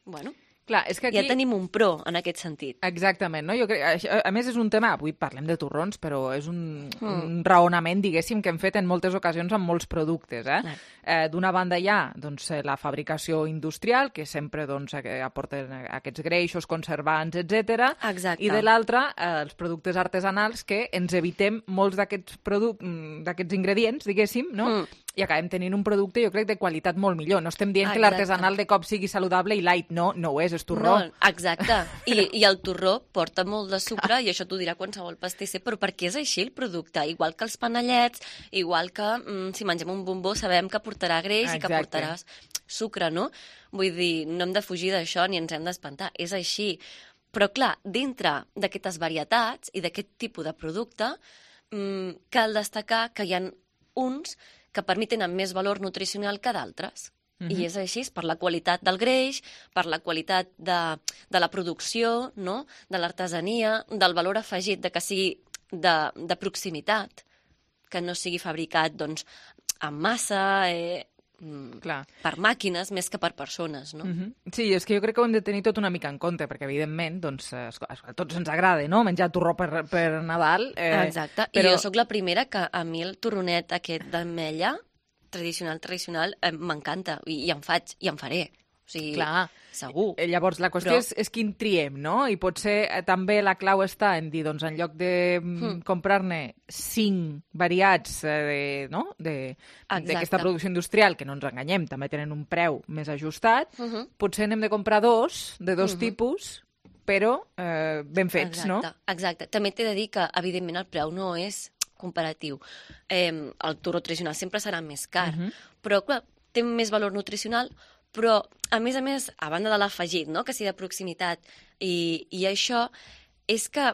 S16: bueno,
S3: clar, és que aquí...
S16: ja tenim un pro en aquest sentit.
S3: Exactament, no? Jo crec, a més és un tema, avui parlem de torrons, però és un, mm. un raonament, diguéssim, que hem fet en moltes ocasions amb molts productes. Eh? Eh, D'una banda hi ha doncs, la fabricació industrial, que sempre doncs, aporten aquests greixos, conservants, etcètera.
S16: Exacte.
S3: I de l'altra, eh, els productes artesanals, que ens evitem molts d'aquests produc- d'aquests ingredients, diguéssim, no? Mm. I acabem tenint un producte, jo crec, de qualitat molt millor. No estem dient exacte. Que l'artesanal de cop sigui saludable i light. No, no ho és, és torró.
S16: No, exacte. I, I el torró porta molt de sucre, i això t'ho dirà qualsevol pastisser, però perquè és així el producte. Igual que els panellets, igual que mm, si mengem un bombó sabem que portarà greix exacte. I que portaràs sucre, no? Vull dir, no hem de fugir d'això ni ens hem d'espantar. És així. Però, clar, dintre d'aquestes varietats i d'aquest tipus de producte, mm, cal destacar que hi ha uns que per mi tenen més valor nutricional que d'altres. Uh-huh. I és així, per la qualitat del greix, per la qualitat de, de la producció, no? De l'artesania, del valor afegit de que sigui de, de proximitat, que no sigui fabricat doncs, en massa, eh,
S3: Clar.
S16: per màquines més que per persones, no?
S3: Uh-huh. Sí, és que jo crec que ho hem de tenir tot una mica en compte, perquè evidentment doncs, a tots ens agrada, no?, menjar torró per, per Nadal. Eh,
S16: Exacte,
S3: però...
S16: i jo sóc la primera que a mi el torronet aquest d'ametlla, tradicional, tradicional, eh, m'encanta, i, i en faig, i en faré. O sigui,
S3: clar,
S16: segur.
S3: Llavors, la qüestió
S16: Però...
S3: és, és quin triem, no? I potser eh, també la clau està en dir, doncs, en lloc de mm. comprar-ne cinc variats eh, no? d'aquesta producció industrial, que no ens enganyem, també tenen un preu més ajustat, uh-huh. potser n'hem de comprar dos, de dos uh-huh. tipus, però eh, ben fets,
S16: exacte,
S3: no?
S16: Exacte. També t'he de dir que, evidentment, el preu no és comparatiu. Eh, el torró tradicional sempre serà més car, uh-huh. però, clar, té més valor nutricional, però, a més a més, a banda de l'afegit, no?, que sigui de proximitat, i, i això és que,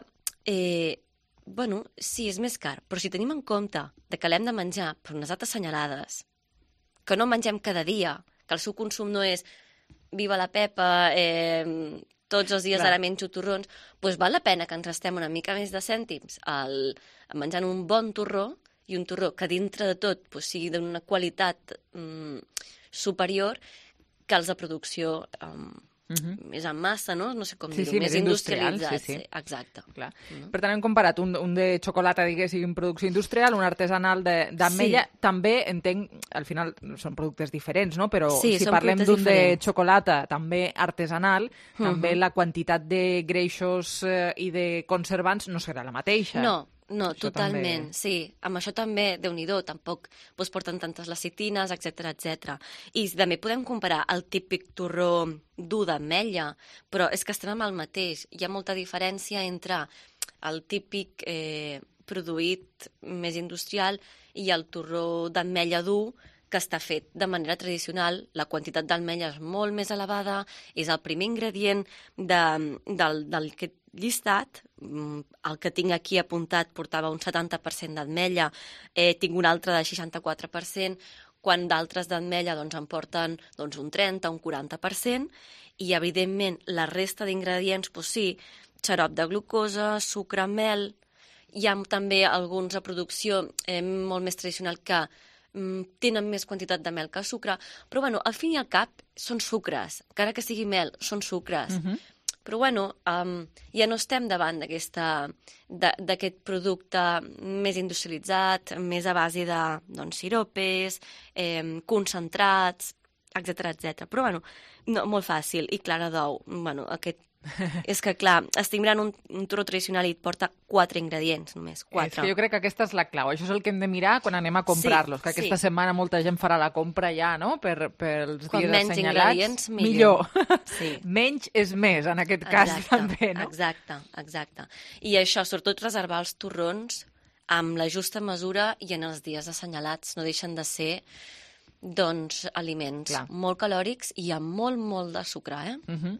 S16: eh, bueno, sí, és més car, però si tenim en compte de que l'hem de menjar per unes dates assenyalades, que no mengem cada dia, que el seu consum no és viva la Pepa, eh, tots els dies Clar. Ara menjo torrons, doncs val la pena que ens restem una mica més de cèntims al, menjant un bon torró, i un torró que dintre de tot doncs, sigui d'una qualitat mm, superior que els de producció um, uh-huh. més en massa, no? No sé com
S3: sí,
S16: dir-ho,
S3: sí,
S16: més,
S3: més
S16: industrialitzat.
S3: Sí, sí.
S16: Exacte.
S3: Clar. Uh-huh. Per tant, hem comparat un, un de xocolata, diguéssim, producció industrial, un artesanal d'ametlla. Sí. També entenc, al final són productes diferents, no? Però
S16: sí,
S3: si parlem d'un de xocolata també artesanal, uh-huh. també la quantitat de greixos eh, i de conservants no serà la mateixa.
S16: No, no,
S3: això
S16: totalment,
S3: també...
S16: sí. Amb això també, Déu-n'hi-do, tampoc doncs, porten tantes lecitines, etcètera, etcètera. I també podem comparar el típic torró dur d'ametlla, però és que estem amb el mateix. Hi ha molta diferència entre el típic eh, produït més industrial i el torró d'ametlla dur, que està fet de manera tradicional, la quantitat d'ametlla és molt més elevada, és el primer ingredient de, del, del que llistat, el que tinc aquí apuntat portava un setanta per cent d'ametlla, eh, tinc un altre de seixanta-quatre per cent, quan d'altres d'ametlla doncs, en porten doncs, un trenta, un quaranta per cent, i evidentment la resta d'ingredients, doncs sí, xarop de glucosa, sucre, mel. Hi ha també alguns a producció eh, molt més tradicional que mm, tenen més quantitat de mel que sucre, però bueno, al fin i al cap són sucres, encara que sigui mel, són sucres. Uh-huh. Però bueno, um, ja no estem davant d'aquest producte més industrialitzat, més a base de doncs, siropes, eh, concentrats, etcètera, etcètera. Però bueno, no, molt fàcil. I clara d'ou, bueno, aquest és que, clar, estic mirant un, un torró tradicional i et porta quatre ingredients, només, quatre.
S3: És que jo crec que aquesta és la clau. Això és el que hem de mirar quan anem a comprar-los, sí, que aquesta sí. setmana molta gent farà la compra ja, no?, per, pels
S16: quan
S3: dies
S16: menys
S3: assenyalats.
S16: Ingredients, millor. millor.
S3: Sí. Menys és més, en aquest cas,
S16: exacte,
S3: també, no?
S16: Exacte, exacte. I això, sobretot reservar els torrons amb la justa mesura i en els dies assenyalats. No deixen de ser doncs, aliments Clar. molt calòrics i amb molt, molt de sucre, eh?
S3: Uh-huh.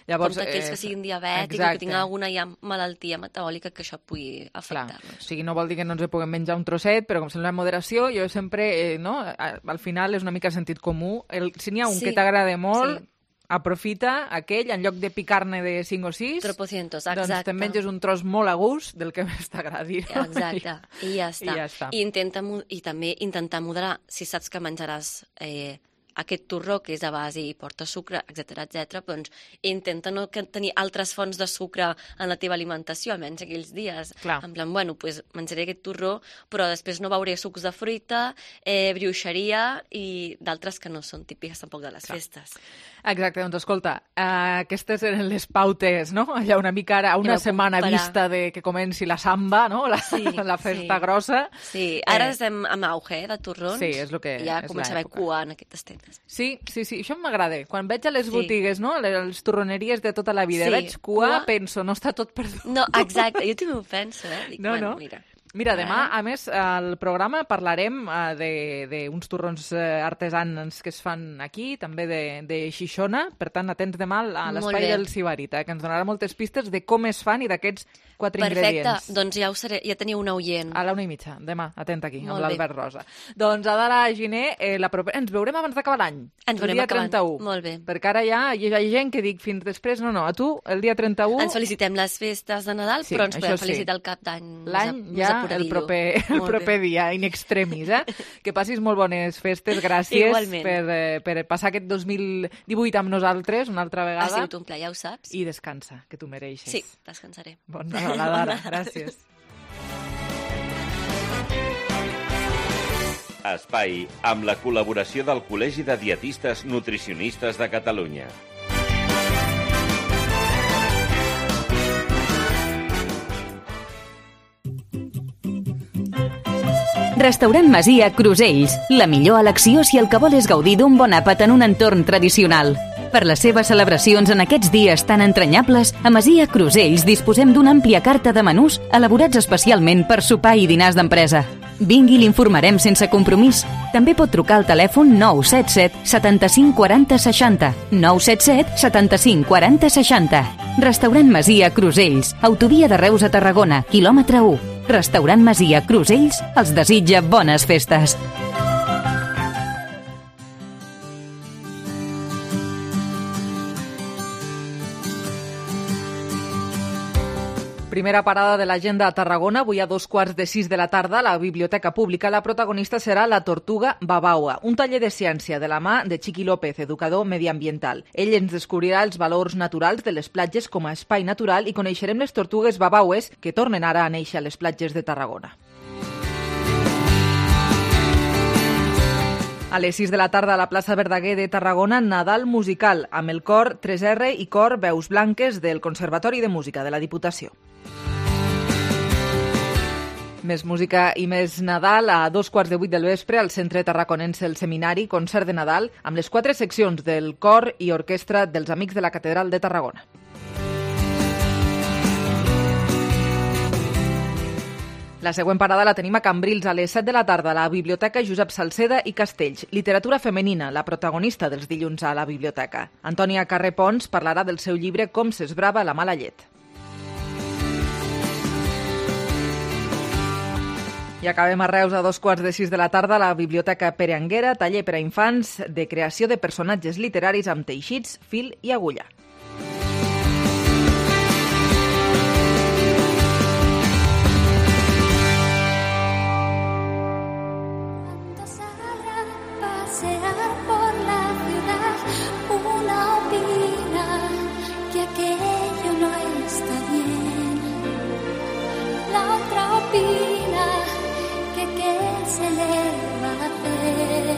S3: Llavors,
S16: com aquells eh, que siguin diabètics o que tinguin alguna ja malaltia metabòlica que això pugui afectar-los.
S3: O sigui, no vol dir que no ens puguem menjar un trosset, però com sembla en moderació, jo sempre, eh, no, al final és una mica sentit comú. El, si n'hi ha un
S16: sí,
S3: que t'agrada molt,
S16: sí.
S3: aprofita aquell, en lloc de picar-ne de cinc o sis,
S16: tropocientos,
S3: doncs te'n menges un tros molt a gust del que més t'agradi. No?
S16: Exacte, I, ja està.
S3: I ja està.
S16: I, intenta, I també intentar moderar, si saps que menjaràs eh, aquest torró que és a base i porta sucre, etcètera, etcètera, doncs intenta no tenir altres fonts de sucre en la teva alimentació, almenys aquells dies.
S3: Clar.
S16: En plan, bueno, pues, menjaré aquest torró, però després no beuré sucs de fruita, eh, brioixeria i d'altres que no són típiques tampoc de les Clar. festes.
S3: Exacte, doncs escolta, uh, aquestes eren les pautes, no? Allà una mica ara, a una ja setmana comparar. vista de que comenci la samba, no? La, sí, la festa
S16: sí.
S3: grossa.
S16: Sí, ara eh... estem amb auge, eh, de torrons.
S3: Sí, és el que
S16: ja
S3: és
S16: comença a haver cua en aquestes tendes.
S3: Sí, sí, sí, això m'agrada. Quan veig a les
S16: sí.
S3: botigues, no? Les torroneries de tota la vida,
S16: sí.
S3: veig cua, cua, penso, no està tot perdut.
S16: No, exacte, jo també ho penso, eh? Dic,
S3: no,
S16: bueno,
S3: no.
S16: mira...
S3: Mira, demà, a més, al programa parlarem uh, d'uns torrons uh, artesans que es fan aquí, també de, de Xixona, per tant, atents demà a l'espai del Sibarita, que ens donarà moltes pistes de com es fan i d'aquests quatre
S16: Perfecte.
S3: ingredients.
S16: Perfecte, doncs ja ho seré, ja teniu un oient.
S3: A la una i mitja, demà, atent aquí,
S16: Molt
S3: amb l'Albert Rosa. Doncs, Adela Giner, eh, la proper... ens veurem abans d'acabar l'any.
S16: Ens veurem
S3: el dia
S16: acabant.
S3: trenta-u.
S16: Molt bé.
S3: Perquè ara ja hi ha gent que dic fins després, no, no, a tu, el dia trenta-u...
S16: Ens felicitem les festes de Nadal,
S3: sí,
S16: però ens podem
S3: sí.
S16: felicitar el cap d'any.
S3: L'any ja, el proper, el proper dia, in extremis, eh? Que passis molt bones festes, gràcies
S16: Igualment.
S3: per, eh, per passar aquest dos mil divuit amb nosaltres una altra vegada.
S16: Ha sigut un plaer, ja ho saps.
S3: I descansa, que tu mereixes.
S16: Sí, descansaré.
S3: Bon Nadal, Adara, gràcies.
S7: Espai amb la col·laboració del Col·legi de Dietistes Nutricionistes de Catalunya.
S2: Restaurant Masia Crusells, la millor elecció si el que vol és gaudir d'un bon àpat en un entorn tradicional. Per les seves celebracions en aquests dies tan entranyables, a Masia Crusells disposem d'una àmplia carta de menús elaborats especialment per sopar i dinars d'empresa. Vingui i l'informarem sense compromís. També pot trucar al telèfon nou set set setanta-cinc quaranta seixanta, nou set set setanta-cinc quaranta seixanta. Restaurant Masia Crusells, autovia de Reus a Tarragona, quilòmetre u. Restaurant Masia Crusells els desitja bones festes.
S3: Primera parada de l'agenda a Tarragona, avui a dos quarts de sis de la tarda, a la Biblioteca Pública. La protagonista serà la Tortuga Babaua, un taller de ciència de la mà de Chiqui López, educador mediambiental. Ell ens descobrirà els valors naturals de les platges com a espai natural i coneixerem les tortugues babaues que tornen ara a néixer a les platges de Tarragona. A les sis de la tarda a la plaça Verdaguer de Tarragona, Nadal musical, amb el cor tres erre i cor Veus Blanques del Conservatori de Música de la Diputació. Més música i més Nadal a dos quarts de vuit del vespre al Centre Tarraconense El Seminari, concert de Nadal amb les quatre seccions del cor i orquestra dels Amics de la Catedral de Tarragona. La següent parada la tenim a Cambrils a les set de la tarda a la Biblioteca Josep Salceda i Castells. Literatura femenina, la protagonista dels dilluns a la biblioteca. Antònia Carré Pons parlarà del seu llibre Com s'esbrava la mala llet. I acabem a Reus a dos quarts de sis de la tarda a la Biblioteca Pere Anguera, taller per a infants de creació de personatges literaris amb teixits, fil i agulla.
S17: Pasear por la ciudad, una opina que aquello no está bien, la otra opina que qué se le va a hacer,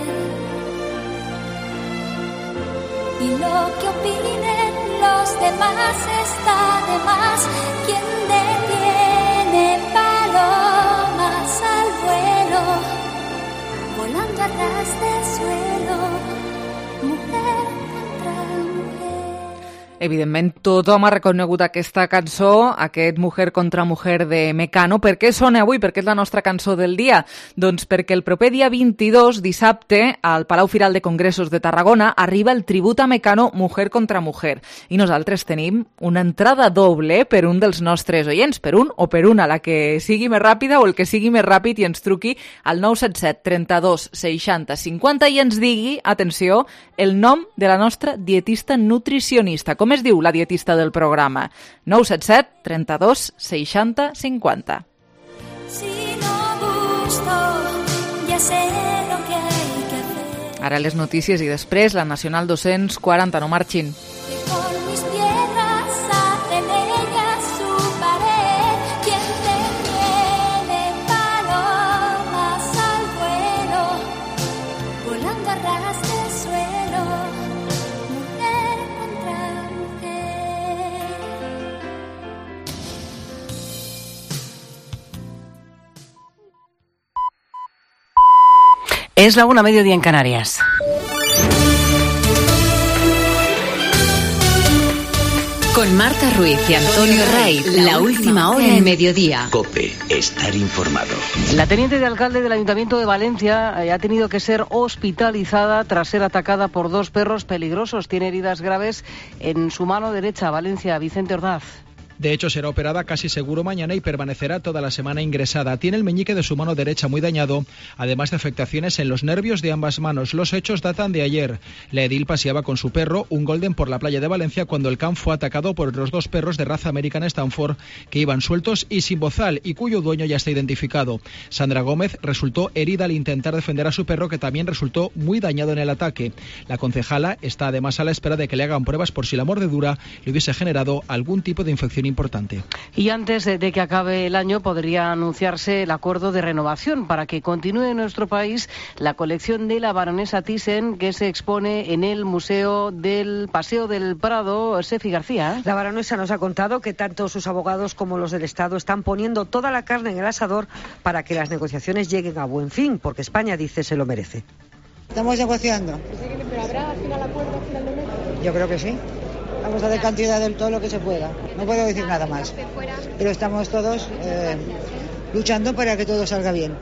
S17: y lo que opinen los demás está de más. Quien detiene palomas al vuelo, volando a ras de suelo, mujer contra mujer.
S3: Evidentment, tothom ha reconegut aquesta cançó, aquest Mujer contra Mujer de Mecano. Per què sona avui? Per què és la nostra cançó del dia? Doncs perquè el proper dia vint-i-dos, dissabte, al Palau Firal de Congressos de Tarragona, arriba el tribut a Mecano Mujer contra Mujer. I nosaltres tenim una entrada doble per un dels nostres oients, per un o per una, la que sigui més ràpida o el que sigui més ràpid i ens truqui al nou set set trenta-dos seixanta cinquanta i ens digui, atenció, el nom de la nostra dietista nutricionista. Com es diu la dietista del programa? nou set set trenta-dos seixanta cinquanta.
S17: Si no gusto, ya sé lo que hay que hacer.
S3: Ara les notícies i després la Nacional dos-cents quaranta. No marxin.
S17: Con mis piedras hacen ellas su pared. Quien te tiene palomas al vuelo, volando a ras de suelo, mujer contra mujer.
S18: Es la una, mediodía en Canarias.
S2: Con Marta Ruiz y Antonio Ray, la última hora en mediodía.
S19: COPE, estar informado.
S18: La teniente de alcalde del Ayuntamiento de Valencia ha tenido que ser hospitalizada tras ser atacada por dos perros peligrosos. Tiene heridas graves en su mano derecha. Valencia, Vicente Ordaz.
S20: De hecho, será operada casi seguro mañana y permanecerá toda la semana ingresada. Tiene el meñique de su mano derecha muy dañado, además de afectaciones en los nervios de ambas manos. Los hechos datan de ayer. La edil paseaba con su perro, un golden, por la playa de Valencia cuando el can fue atacado por los dos perros de raza American Stanford que iban sueltos y sin bozal y cuyo dueño ya está identificado. Sandra Gómez resultó herida al intentar defender a su perro, que también resultó muy dañado en el ataque. La concejala está además a la espera de que le hagan pruebas por si la mordedura le hubiese generado algún tipo de infección importante.
S18: Y antes de que acabe el año podría anunciarse el acuerdo de renovación para que continúe en nuestro país la colección de la baronesa Thyssen, que se expone en el Museo del Paseo del Prado. Sefi García.
S21: La baronesa nos ha contado que tanto sus abogados como los del Estado están poniendo toda la carne en el asador para que las negociaciones lleguen a buen fin, porque España, dice, se lo merece.
S22: Estamos negociando.
S23: ¿Pero habrá al final acuerdo al final de mes?
S22: Yo creo que sí. Vamos a dar cantidad de todo lo que se pueda. No puedo decir nada más. Pero estamos todos eh, luchando para que todo salga bien.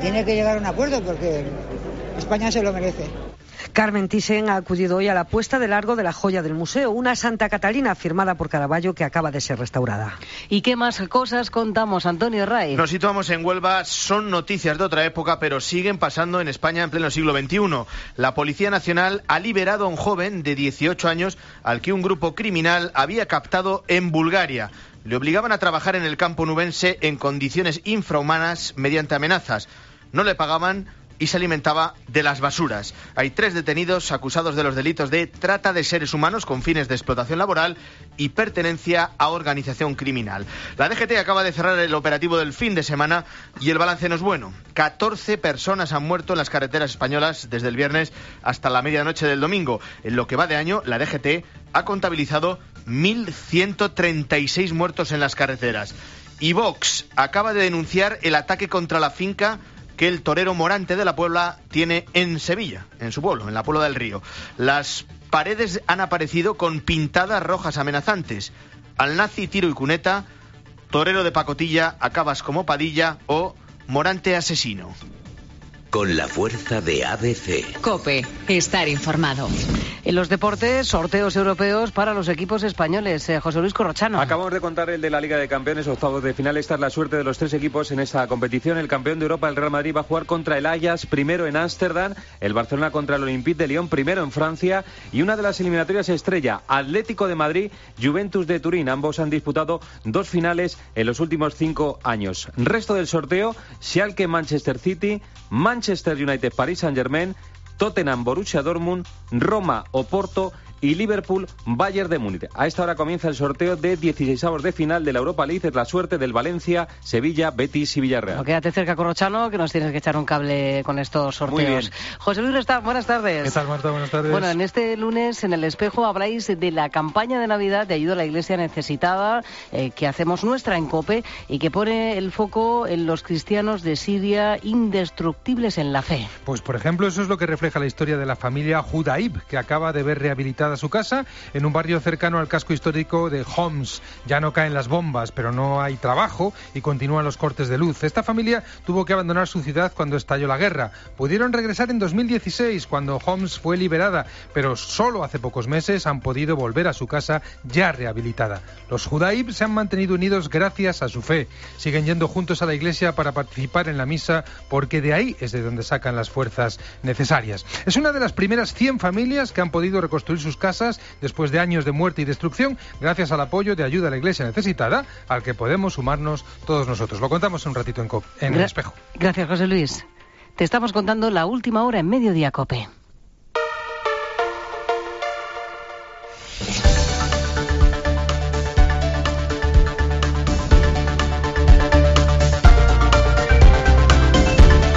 S22: Tiene que llegar a un acuerdo porque España se lo merece.
S21: Carmen Thyssen ha acudido hoy a la puesta de largo de la joya del museo, una Santa Catalina firmada por Caravaggio que acaba de ser restaurada.
S18: ¿Y qué más cosas contamos, Antonio Ray?
S24: Nos situamos en Huelva, son noticias de otra época, pero siguen pasando en España en pleno siglo veintiuno. La Policía Nacional ha liberado a un joven de dieciocho años al que un grupo criminal había captado en Bulgaria. Le obligaban a trabajar en el campo nubense en condiciones infrahumanas mediante amenazas. No le pagaban y se alimentaba de las basuras. Hay tres detenidos acusados de los delitos de trata de seres humanos con fines de explotación laboral y pertenencia a organización criminal. La D G T acaba de cerrar el operativo del fin de semana y el balance no es bueno. catorce personas han muerto en las carreteras españolas desde el viernes hasta la medianoche del domingo. En lo que va de año, la D G T ha contabilizado mil ciento treinta y seis muertos en las carreteras. Y Vox acaba de denunciar el ataque contra la finca que el torero Morante de la Puebla tiene en Sevilla, en su pueblo, en la Puebla del Río. Las paredes han aparecido con pintadas rojas amenazantes. Al nazi tiro y cuneta, torero de pacotilla, acabas como Padilla o Morante asesino.
S19: con la fuerza de A B C.
S1: COPE, estar informado.
S18: En los deportes, sorteos europeos para los equipos españoles. Eh, José Luis Corrochano.
S5: Acabamos de contar el de la Liga de Campeones, octavos de final. Esta es la suerte de los tres equipos en esta competición. El campeón de Europa, el Real Madrid, va a jugar contra el Ajax, primero en Ámsterdam. El Barcelona contra el Olympique de Lyon, primero en Francia. Y una de las eliminatorias estrella, Atlético de Madrid, Juventus de Turín. Ambos han disputado dos finales en los últimos cinco años. Resto del sorteo, Schalke, Manchester City, Manchester United, Paris Saint-Germain, Tottenham, Borussia Dortmund, Roma, Oporto y Liverpool, Bayern de Múnich. A esta hora comienza el sorteo de dieciseisavos de final de la Europa League. Es la suerte del Valencia, Sevilla, Betis y Villarreal.
S18: No, quédate cerca, Corrochano, que nos tienes que echar un cable con estos sorteos.
S5: Muy bien.
S18: José Luis Restán, buenas tardes.
S6: ¿Qué tal, Marta? Buenas tardes.
S18: Bueno, en este lunes, en El Espejo, habláis de la campaña de Navidad de ayuda a la Iglesia necesitada, eh, que hacemos nuestra en COPE y que pone el foco en los cristianos de Siria indestructibles en la fe.
S6: Pues, por ejemplo, eso es lo que refleja la historia de la familia Judaib, que acaba de ver rehabilitada su casa en un barrio cercano al casco histórico de Homs. Ya no caen las bombas, pero no hay trabajo y continúan los cortes de luz. Esta familia tuvo que abandonar su ciudad cuando estalló la guerra. Pudieron regresar en dos mil dieciséis, cuando Homs fue liberada, pero solo hace pocos meses han podido volver a su casa ya rehabilitada. Los Judaib se han mantenido unidos gracias a su fe. Siguen yendo juntos a la iglesia para participar en la misa, porque de ahí es de donde sacan las fuerzas necesarias. Es una de las primeras cien familias que han podido reconstruir sus casas después de años de muerte y destrucción, gracias al apoyo de ayuda a la Iglesia necesitada, al que podemos sumarnos todos nosotros. Lo contamos en un ratito en, COPE, en Gra- El Espejo.
S18: Gracias, José Luis. Te estamos contando la última hora en Mediodía COPE.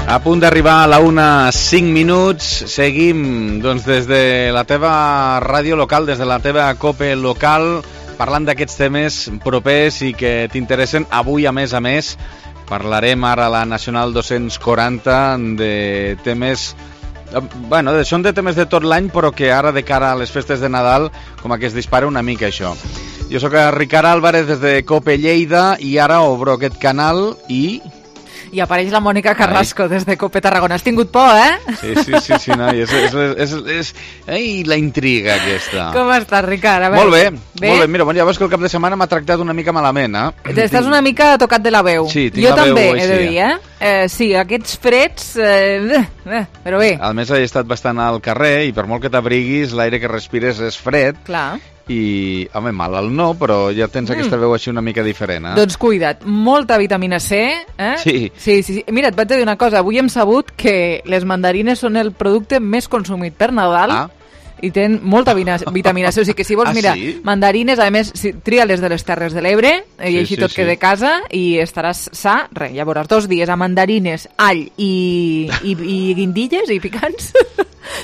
S8: A punt d'arribar a la una, cinc minuts. Seguim doncs, des de la teva ràdio local, des de la teva COPE local, parlant d'aquests temes propers i que t'interessen. Avui, a més a més, parlarem ara a la Nacional dos-cents quaranta de temes... Bueno, són de temes de tot l'any, però que ara, de cara a les festes de Nadal, com que es dispara una mica això. Jo sóc Ricard Álvarez des de COPE Lleida i ara obro aquest canal i...
S3: I apareix la Mònica Carrasco Ai. des de COPE Tarragona. Has tingut por, eh?
S8: Sí, sí, sí, sí no, és, és, és, és, ei, la intriga aquesta.
S3: Com estàs, Ricard? A veure,
S8: molt bé,
S3: bé, molt
S8: bé. Mira, bon, ja veus que el cap de setmana m'ha tractat una mica malament, eh?
S3: Estàs una mica tocat de la veu.
S8: Sí, tinc
S3: jo
S8: la
S3: també,
S8: veu
S3: he de dir, eh? eh? Sí, aquests freds... Eh, eh, però bé.
S8: A més, he estat bastant al carrer i per molt que t'abriguis, l'aire que respires és fred.
S3: Clar.
S8: I, home, malalt no, però ja tens mm. aquesta veu així una mica diferent, eh?
S3: Doncs cuida't, molta vitamina C, eh?
S8: Sí.
S3: Sí, sí, sí. Mira, et vaig dir una cosa, avui hem sabut que les mandarines són el producte més consumit per Nadal. Ah. I tenen molta vitamina C, o sigui que si vols,
S8: ah,
S3: mira,
S8: sí?
S3: mandarines, a més, si, tria-les de les Terres de l'Ebre, i
S8: sí,
S3: així
S8: sí,
S3: tot
S8: sí.
S3: que de casa, i estaràs sa, res, ja veuràs, dos dies a mandarines, all i, i, i guindilles i picants.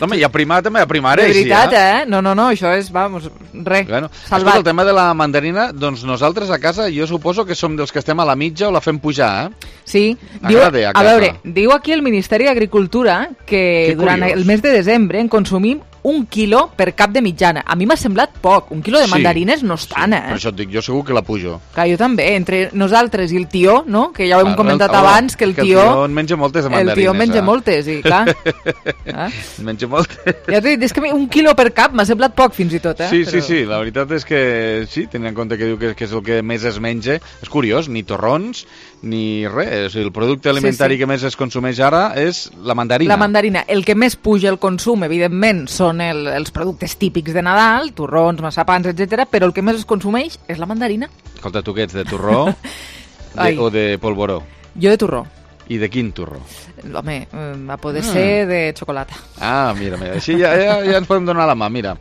S8: Home, hi ha primat, també hi ha primar,
S3: de veritat,
S8: sí, eh?
S3: eh? No, no, no, això és, vamos, res,
S8: bueno,
S3: salvat.
S8: Escolta, el tema de la mandarina, doncs nosaltres a casa, jo suposo que som dels que estem a la mitja o la fem pujar, eh?
S3: Sí, diu, a, a veure, diu aquí el Ministeri d'Agricultura que, que durant el mes de desembre en consumim un quilo per cap de mitjana. A mi m'ha semblat poc. Un quilo de mandarines sí, no és tant, eh?
S8: Per això et dic, jo segur que la pujo.
S3: Clar, jo també. Entre nosaltres i el tió, no? Que ja ho hem clar, comentat el, abans, que el
S8: que
S3: tió...
S8: el tió en menja moltes de mandarines.
S3: El tió en menja
S8: eh?
S3: moltes, i clar. eh?
S8: En menja moltes.
S3: Ja t'he dit, és que un quilo per cap m'ha semblat poc, fins i tot, eh?
S8: Sí,
S3: Però...
S8: sí, sí. La veritat és que sí, tenint en compte que diu que, que és el que més es menja. És curiós, ni torrons, ni res. El producte alimentari sí, sí. que més es consumeix ara és la mandarina.
S3: La mandarina. El que més puja el consum, evidentment, són el, els productes típics de Nadal, torrons, massapans, etcètera, però el que més es consumeix és la mandarina.
S8: Escolta, tu què ets, de torró de, o de polvoró?
S3: Jo de torró.
S8: I de quin torró?
S3: Home, a poder ah. ser de xocolata.
S8: Ah, mira, mira, així ja, ja, ja ens podem donar la mà, mira.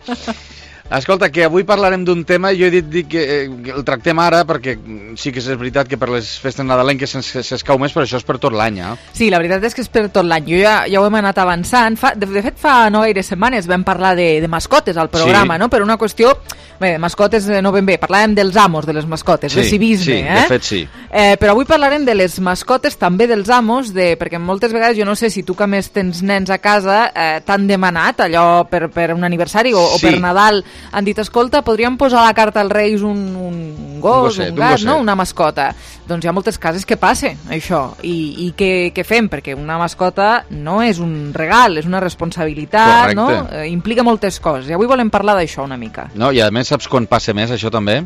S8: Escolta, que avui parlarem d'un tema, jo he dit, dit que eh, el tractem ara perquè sí que és veritat que per les festes nadalenques s'escau més, però això és per tot l'any, eh?
S3: Sí, la veritat és que és per tot l'any. Jo ja, ja ho hem anat avançant. Fa, de, de fet, fa no gaires setmanes vam parlar de, de mascotes al programa, sí. no? Per una qüestió... Bé, de mascotes no ben bé, parlàvem dels amos de les mascotes,
S8: sí,
S3: de civisme,
S8: sí,
S3: eh?
S8: de fet sí.
S3: Eh, però avui parlarem de les mascotes, també dels amos, de, perquè moltes vegades, jo no sé si tu que més tens nens a casa, eh, t'han demanat allò per, per un aniversari o, sí. o per Nadal, han dit, escolta, podríem posar a la carta als Reis un, un gos, un, gosset, un gat, un no? Una mascota. doncs hi ha moltes cases que passa això. I, i què, què fem? Perquè una mascota no és un regal, és una responsabilitat, no? Eh, implica moltes coses. I avui volem parlar d'això una mica.
S8: No, i a més saps quan passa més això també?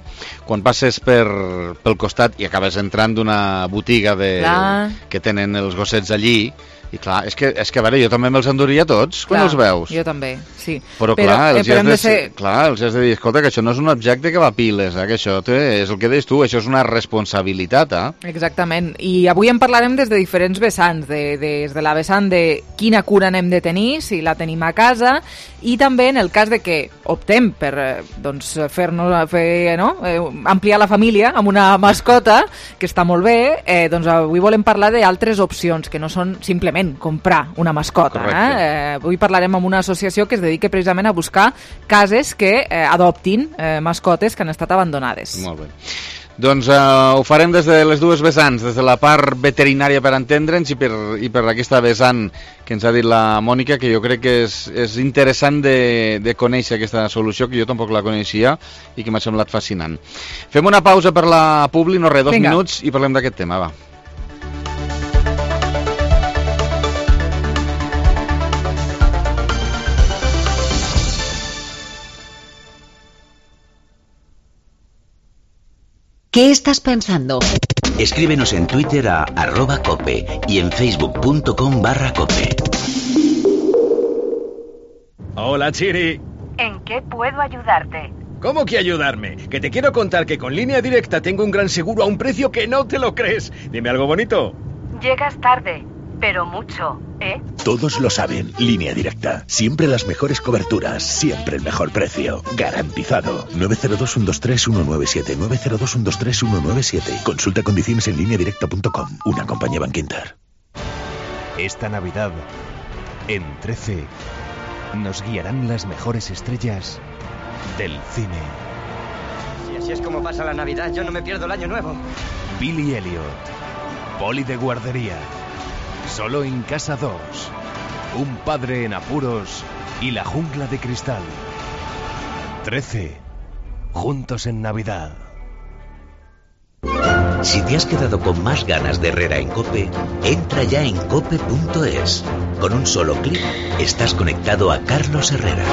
S8: Quan passes per, pel costat i acabes entrant d'una botiga de, que tenen els gossets allí. I clar, és que, és que a veure, jo també me'ls enduria tots quan clar, els veus.
S3: Jo també, sí.
S8: Però, però clar, els, eh, has de, ser... clar, els has de dir, escolta, que això no és un objecte que va a piles, eh, que això té, és el que deies tu, això és una responsabilitat. Eh?
S3: Exactament, i avui en parlarem des de diferents vessants, de, des de la vessant de quina cura n'hem de tenir, si la tenim a casa, i també en el cas de que optem per doncs, fer-nos, fer, no? eh, ampliar la família amb una mascota, que està molt bé, eh, doncs avui volem parlar d'altres opcions, que no són simplement comprar una mascota. Eh? Eh, avui parlarem amb una associació que es dedica precisament a buscar cases que eh, adoptin eh, mascotes que han estat abandonades.
S8: Molt bé. Doncs eh, ho farem des de les dues vessants, des de la part veterinària per entendre'ns i per, i per aquesta vessant que ens ha dit la Mònica, que jo crec que és, és interessant de, de conèixer aquesta solució, que jo tampoc la coneixia i que m'ha semblat fascinant. Fem una pausa per la Publi, no res, dos Vinga. minuts i parlem d'aquest tema, va.
S1: ¿Qué estás pensando?
S19: Escríbenos en Twitter a arroba cope y en facebook.com barra cope.
S4: Hola, Chiri.
S9: ¿En qué puedo ayudarte?
S4: ¿Cómo que ayudarme? Que te quiero contar que con Línea Directa tengo un gran seguro a un precio que no te lo crees. Dime algo bonito.
S9: Llegas tarde, pero mucho, ¿eh?
S10: Todos lo saben. Línea Directa. Siempre las mejores coberturas. Siempre el mejor precio. Garantizado. nueve cero dos, uno dos tres, uno nueve siete. nueve cero dos, uno dos tres, uno nueve siete. Consulta condiciones en línea directa punto com. Una compañía Bankinter.
S12: Esta Navidad, en trece, nos guiarán las mejores estrellas del cine.
S13: Si así es como pasa la Navidad, yo no me pierdo el año nuevo.
S12: Billy Elliot, Poli de guardería. Solo en Casa dos. Un padre en apuros y la jungla de cristal. trece. Juntos en Navidad.
S19: Si te has quedado con más ganas de Herrera en COPE, entra ya en cope punto es. Con un solo clic estás conectado a Carlos Herrera.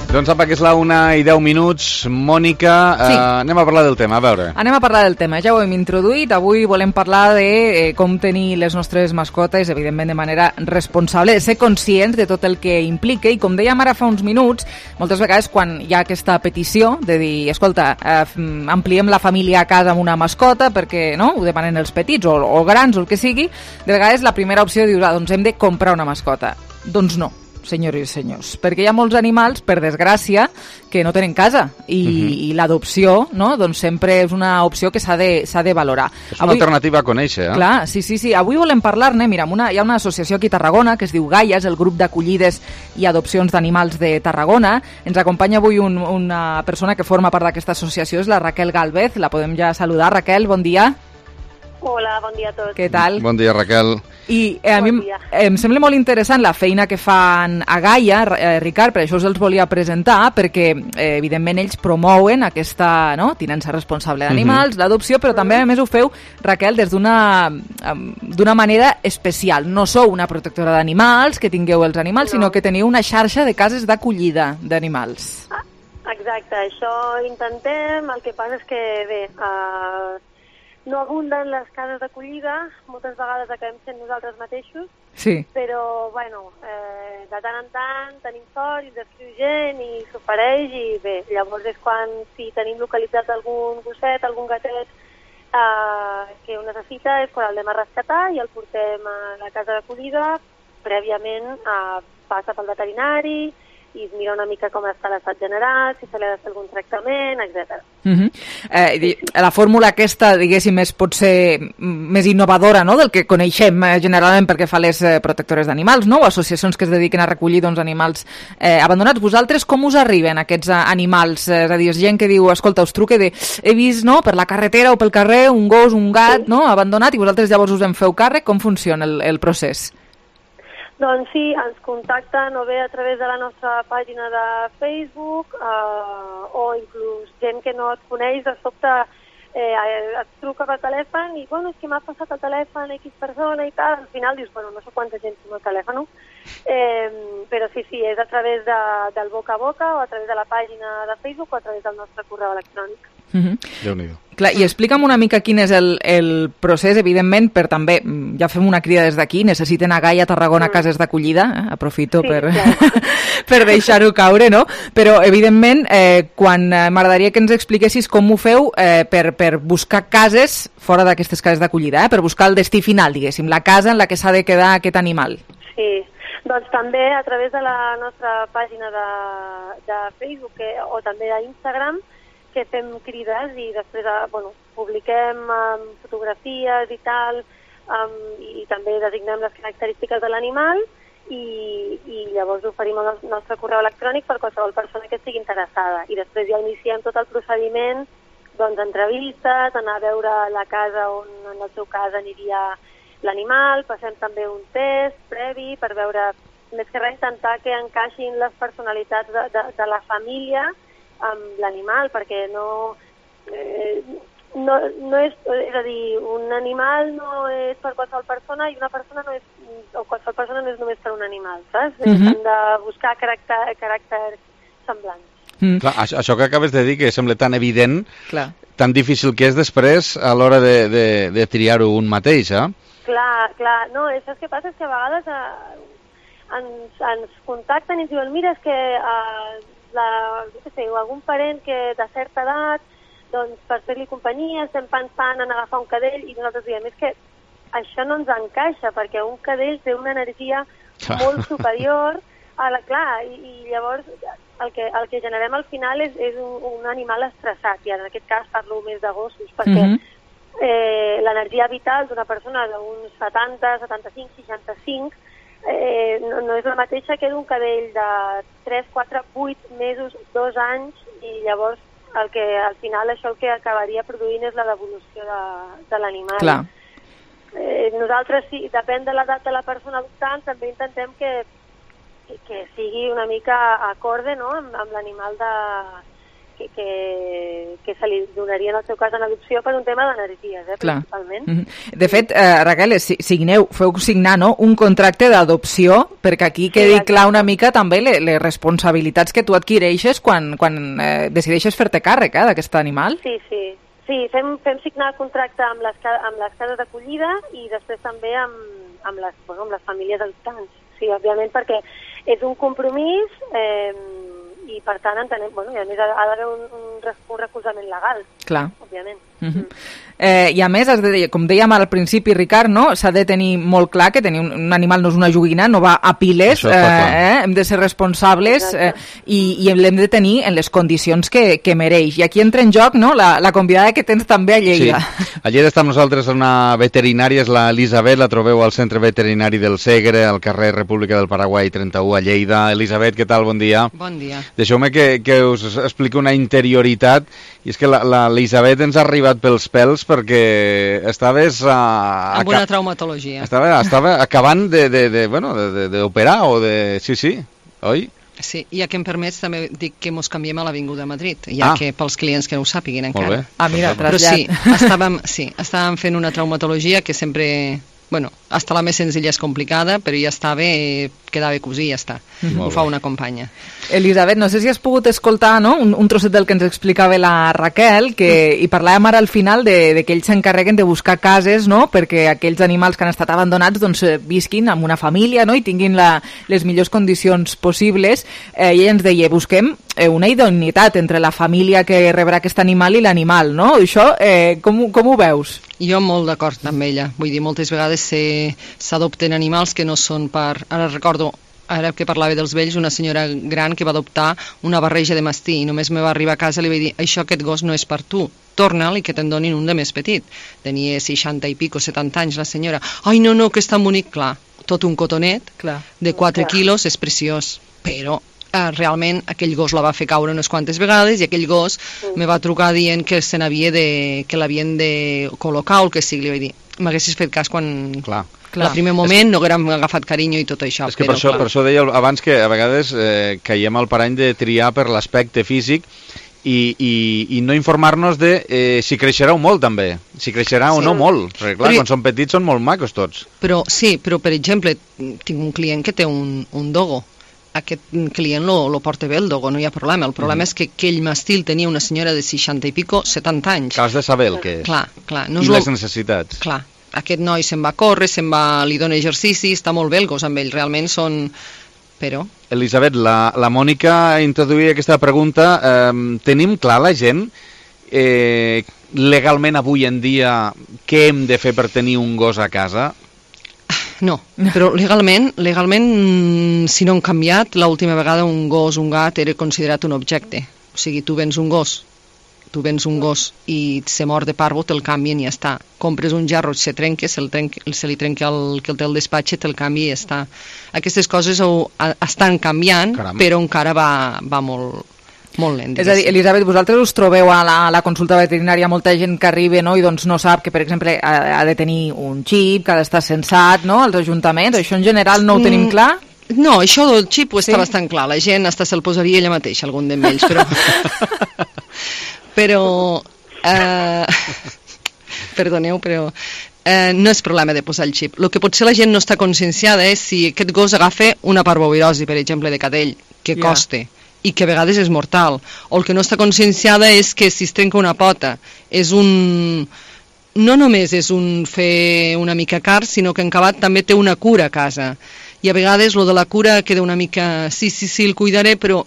S8: Doncs apa, que és la una i deu minuts. Mònica, sí. eh, anem a parlar del tema, a veure.
S3: Anem a parlar del tema, ja ho hem introduït. Avui volem parlar de eh, com tenir les nostres mascotes, evidentment de manera responsable, de ser conscients de tot el que implica, i com dèiem ara fa uns minuts, moltes vegades quan hi ha aquesta petició de dir, escolta, eh, ampliem la família a casa amb una mascota, perquè no ho demanen els petits o, o grans o el que sigui, de vegades la primera opció dius, ah, doncs hem de comprar una mascota. Doncs no, senyores i senyors, perquè hi ha molts animals, per desgràcia, que no tenen casa i, uh-huh. i l'adopció, no? Doncs sempre és una opció que s'ha de, s'ha de valorar.
S8: És una avui, alternativa a conèixer, eh?
S3: Clar, sí, sí, sí. Avui volem parlar-ne, mira, una, hi ha una associació aquí a Tarragona que es diu Gaia, és el grup d'acollides i adopcions d'animals de Tarragona. Ens acompanya avui un, una persona que forma part d'aquesta associació, és la Raquel Gálvez. La podem ja saludar. Raquel, bon dia.
S11: Hola, bon dia a tots.
S3: Què tal?
S8: Bon dia, Raquel.
S3: I eh, a bon mi dia. em sembla molt interessant la feina que fan a Gaia, eh, Ricard, per això us els volia presentar, perquè eh, evidentment ells promouen aquesta no, tinença responsable d'animals, uh-huh. l'adopció, però també a més ho feu, Raquel, des d'una d'una manera especial. No sou una protectora d'animals, que tingueu els animals, no. sinó que teniu una xarxa de cases d'acollida d'animals.
S11: Ah, exacte, això intentem, el que passa és que, bé, uh, no abunden les cases d'acollida, moltes vegades acabem sent nosaltres mateixos,
S3: sí.
S11: però, bueno, eh, de tant en tant tenim sort i ens escriu gent i s'ofereix i bé, llavors és quan si tenim localitzat algun gosset, algun gatet eh, que ho necessita, és quan el anem a rescatar i el portem a la casa d'acollida, prèviament eh, passa pel veterinari i es mira una mica com està l'estat general, si se li ha de fer algun tractament, etcètera.
S3: Uh-huh. Eh, la fórmula aquesta, diguéssim, és potser més innovadora, no?, del que coneixem eh, generalment perquè fa les eh, protectores d'animals, no?, o associacions que es dediquen a recollir doncs, animals eh, abandonats. Vosaltres com us arriben aquests animals? Eh, és a dir, és gent que diu, escolta, us truque de he vist no, per la carretera o pel carrer un gos, un gat, sí. no?, abandonat, i vosaltres llavors us en feu càrrec. Com funciona el, el procés?
S11: Doncs sí, ens contacten o bé a través de la nostra pàgina de Facebook eh, o inclús gent que no et coneix, de sobte eh, et truca per telèfon i, bueno, és que m'ha passat el telèfon X persona i tal, al final dius, bueno, no sé quanta gent té el telèfon, eh, però sí, sí, és a través de, del boca a boca o a través de la pàgina de Facebook o a través del nostre correu electrònic.
S8: Mm-hmm. Déu-n'hi-do.
S3: Clar, i explica'm una mica quin és el, el procés, evidentment, per també, ja fem una crida des d'aquí, necessiten a Gaia, Tarragona, mm. cases d'acollida, eh? aprofito sí, per, per deixar-ho caure, no? Però, evidentment, eh, quan eh, m'agradaria que ens expliquessis com ho feu eh, per, per buscar cases fora d'aquestes cases d'acollida, eh? per buscar el destí final, diguéssim, la casa en la que s'ha de quedar aquest animal.
S11: Sí, doncs també a través de la nostra pàgina de, de Facebook que, o també d'Instagram, que fem crides i després bueno, publiquem um, fotografies i tal um, i, i també designem les característiques de l'animal i, i llavors oferim el nostre correu electrònic per qualsevol persona que estigui interessada i després ja iniciem tot el procediment doncs entrevistes, anar a veure la casa on en el seu cas aniria l'animal, passem també un test previ per veure, més que res intentar que encaixin les personalitats de, de, de la família amb l'animal, perquè no, eh, no, no és, és a dir, un animal no és per qualsevol persona i una persona no és, o qualsevol persona no és només per un animal, saps? Mm-hmm. Hem de buscar caràcter, caràcters semblants.
S8: Mm. Clar, això, això que acabes de dir, que sembla tan evident,
S3: Clar.
S8: tan difícil que és després a l'hora de, de, de triar-ho un mateix, eh?
S11: Clar, clar, no, això que passa és que a vegades eh, ens, ens contacten i ens diuen, mira, és que eh, la, no sé, algun parent que de certa edat, doncs per fer-li companyia estem pensant en agafar un cadell i nosaltres diem, és que això no ens encaixa perquè un cadell té una energia clar. molt superior a la, clar, i, i llavors el que, el que generem al final és, és un, un animal estressat i en aquest cas parlo més de gossos perquè mm-hmm. eh, l'energia vital d'una persona d'uns setanta, setanta-cinc, seixanta-cinc Eh, no, no és la mateixa que d'un cadell de tres, quatre, vuit mesos, dos anys i llavors el que, al final això el que acabaria produint és la devolució de, de l'animal.
S3: Clar.
S11: Eh, nosaltres, sí, depèn de l'edat de la persona adoptant, també intentem que, que sigui una mica acorde, no?, amb, amb l'animal de... Que, que, que se li donaria en el seu cas en adopció per un tema d'energies, eh, principalment.
S3: Mm-hmm. De fet, eh, Raquel, signeu, feu signar no? un contracte d'adopció perquè aquí quedi sí, clar una mica també les, les responsabilitats que tu adquireixes quan, quan eh, decideixes fer-te càrrec eh, d'aquest animal.
S11: Sí, sí. Sí, fem, fem signar el contracte amb les, amb les cases d'acollida i després també amb, amb, les, bueno, amb les famílies adoptants. Sí, òbviament, perquè és un compromís... Eh, i per tant entenem, bueno, i a més ha, ha d'haver un, un, un recolzament legal,
S3: clar.
S11: òbviament.
S3: Mm-hmm. eh, I a més, has de, com dèiem al principi, Ricard, no? S'ha de tenir molt clar que tenir un, un animal no és una joguina, no va a piles, eh, eh, hem de ser responsables eh, i, i l'hem de tenir en les condicions que, que mereix. I aquí entra en joc no? la, la convidada que tens també a Lleida.
S8: Sí. A Lleida està amb nosaltres una veterinària, és la Elisabet, la trobeu al Centre Veterinari del Segre, al carrer República del Paraguai trenta-u a Lleida. Elisabet, què tal? Bon dia.
S7: Bon dia.
S8: Deixeu-me que, que us expliqui una interioritat, i és que l'Elisabet ens ha arribat pels pèls perquè estaves... Uh,
S7: amb una traumatologia.
S8: Estava, estava acabant de, de, de, bueno, d'operar o de... Sí, sí, oi?
S7: Sí, ja que em permets també dic que mos canviem a l'Avinguda Madrid, ja ah. que pels clients que no ho sàpiguin encara.
S8: Molt bé.
S7: Ah, mira, però sí, estàvem, sí, estàvem fent una traumatologia que sempre... Bueno, hasta la més senzilla és complicada, però ja està bé, queda bé cosir i ja està. Mm-hmm. Ho fa una companya.
S3: Elisabet, no sé si has pogut escoltar no? un, un trosset del que ens explicava la Raquel, que mm. i parlàvem ara al final de, de que ells s'encarreguen de buscar cases no? perquè aquells animals que han estat abandonats doncs, visquin amb una família no? i tinguin la, les millors condicions possibles. Eh, I ella ens deia, busquem eh, una idoneïtat entre la família que rebrà aquest animal i l'animal, no? Això, eh, com, com ho veus?
S7: Jo molt d'acord amb ella. Vull dir, moltes vegades s'adopten animals que no són per... Ara recordo, ara que parlava dels vells, una senyora gran que va adoptar una barreja de mastí i només me va arribar a casa i li vaig dir, això, aquest gos no és per tu, torna'l i que te'n donin un de més petit. Tenia seixanta i pico, setanta anys la senyora. Ai, no, no, que és tan bonic. Clar, tot un cotonet
S3: Clar.
S7: de quatre quilos és preciós, però... Eh, realment aquell gos la va fer caure unes quantes vegades i aquell gos mm. me va trucar dient que se n'havia de, que l'havien de col·locar o el que sigui, li vaig dir, m'haguessis fet cas quan,
S8: Clar.
S7: Al primer moment no haguérem agafat carinyo i tot això.
S8: És que
S7: però,
S8: per, això,
S7: clar.
S8: per això deia abans que a vegades eh, caiem al parany de triar per l'aspecte físic i, i, i no informar-nos de eh, si creixerà o molt també, si creixerà sí. o no molt, perquè clar, però, quan són petits són molt macos tots.
S7: Però sí, però per exemple, tinc un client que té un, un dogo. Aquest client lo, lo porta bé el dogo, no hi ha problema. El problema mm. és que aquell mastil tenia una senyora de seixanta i pico, setanta anys.
S8: Que has de saber el que és.
S7: Clar, clar. No
S8: I
S7: és
S8: les
S7: lo...
S8: necessitats.
S7: Clar, aquest noi se'n va a córrer, se'n va, li dona exercici, està molt bé el gos amb ell, realment són... Però...
S8: Elisabet, la, la Mònica introduïa aquesta pregunta. Eh, tenim clar la gent eh, legalment avui en dia què hem de fer per tenir un gos a casa?
S7: No, però legalment, legalment si no han canviat, l'última vegada un gos, un gat era considerat un objecte. O sigui, tu vens un gos, tu vens un gos i se mor de parvo, te'l canvien i ja està. Compres un jarro, se trenca, se, trenca, se li trenca el que el té el despatxe, te'l canvia i ja està. Aquestes coses ho, a, estan canviant, Caram. però encara va, va molt... molt lent.
S3: És a dir, Elisabet, vosaltres us trobeu a la, a la consulta veterinària molta gent que arriba, no?, i doncs no sap que, per exemple, ha, ha de tenir un xip, que ha d'estar censat, no?, als ajuntaments. Això en general no ho tenim clar?
S7: Mm, no, això del xip ho està sí? bastant clar. La gent hasta se'l posaria ella mateixa, algun d'ells, però... però... Eh... Perdoneu, però... Eh, no és problema de posar el xip. El que potser la gent no està conscienciada és si aquest gos agafa una parvovirosi, per exemple, de cadell, que yeah. costa, i que a vegades és mortal. O el que no està conscienciada és que si es trenca una pota és un... no només és un fer una mica car, sinó que en acabat també té una cura a casa. I a vegades lo de la cura queda una mica... Sí, sí, sí, el cuidaré, però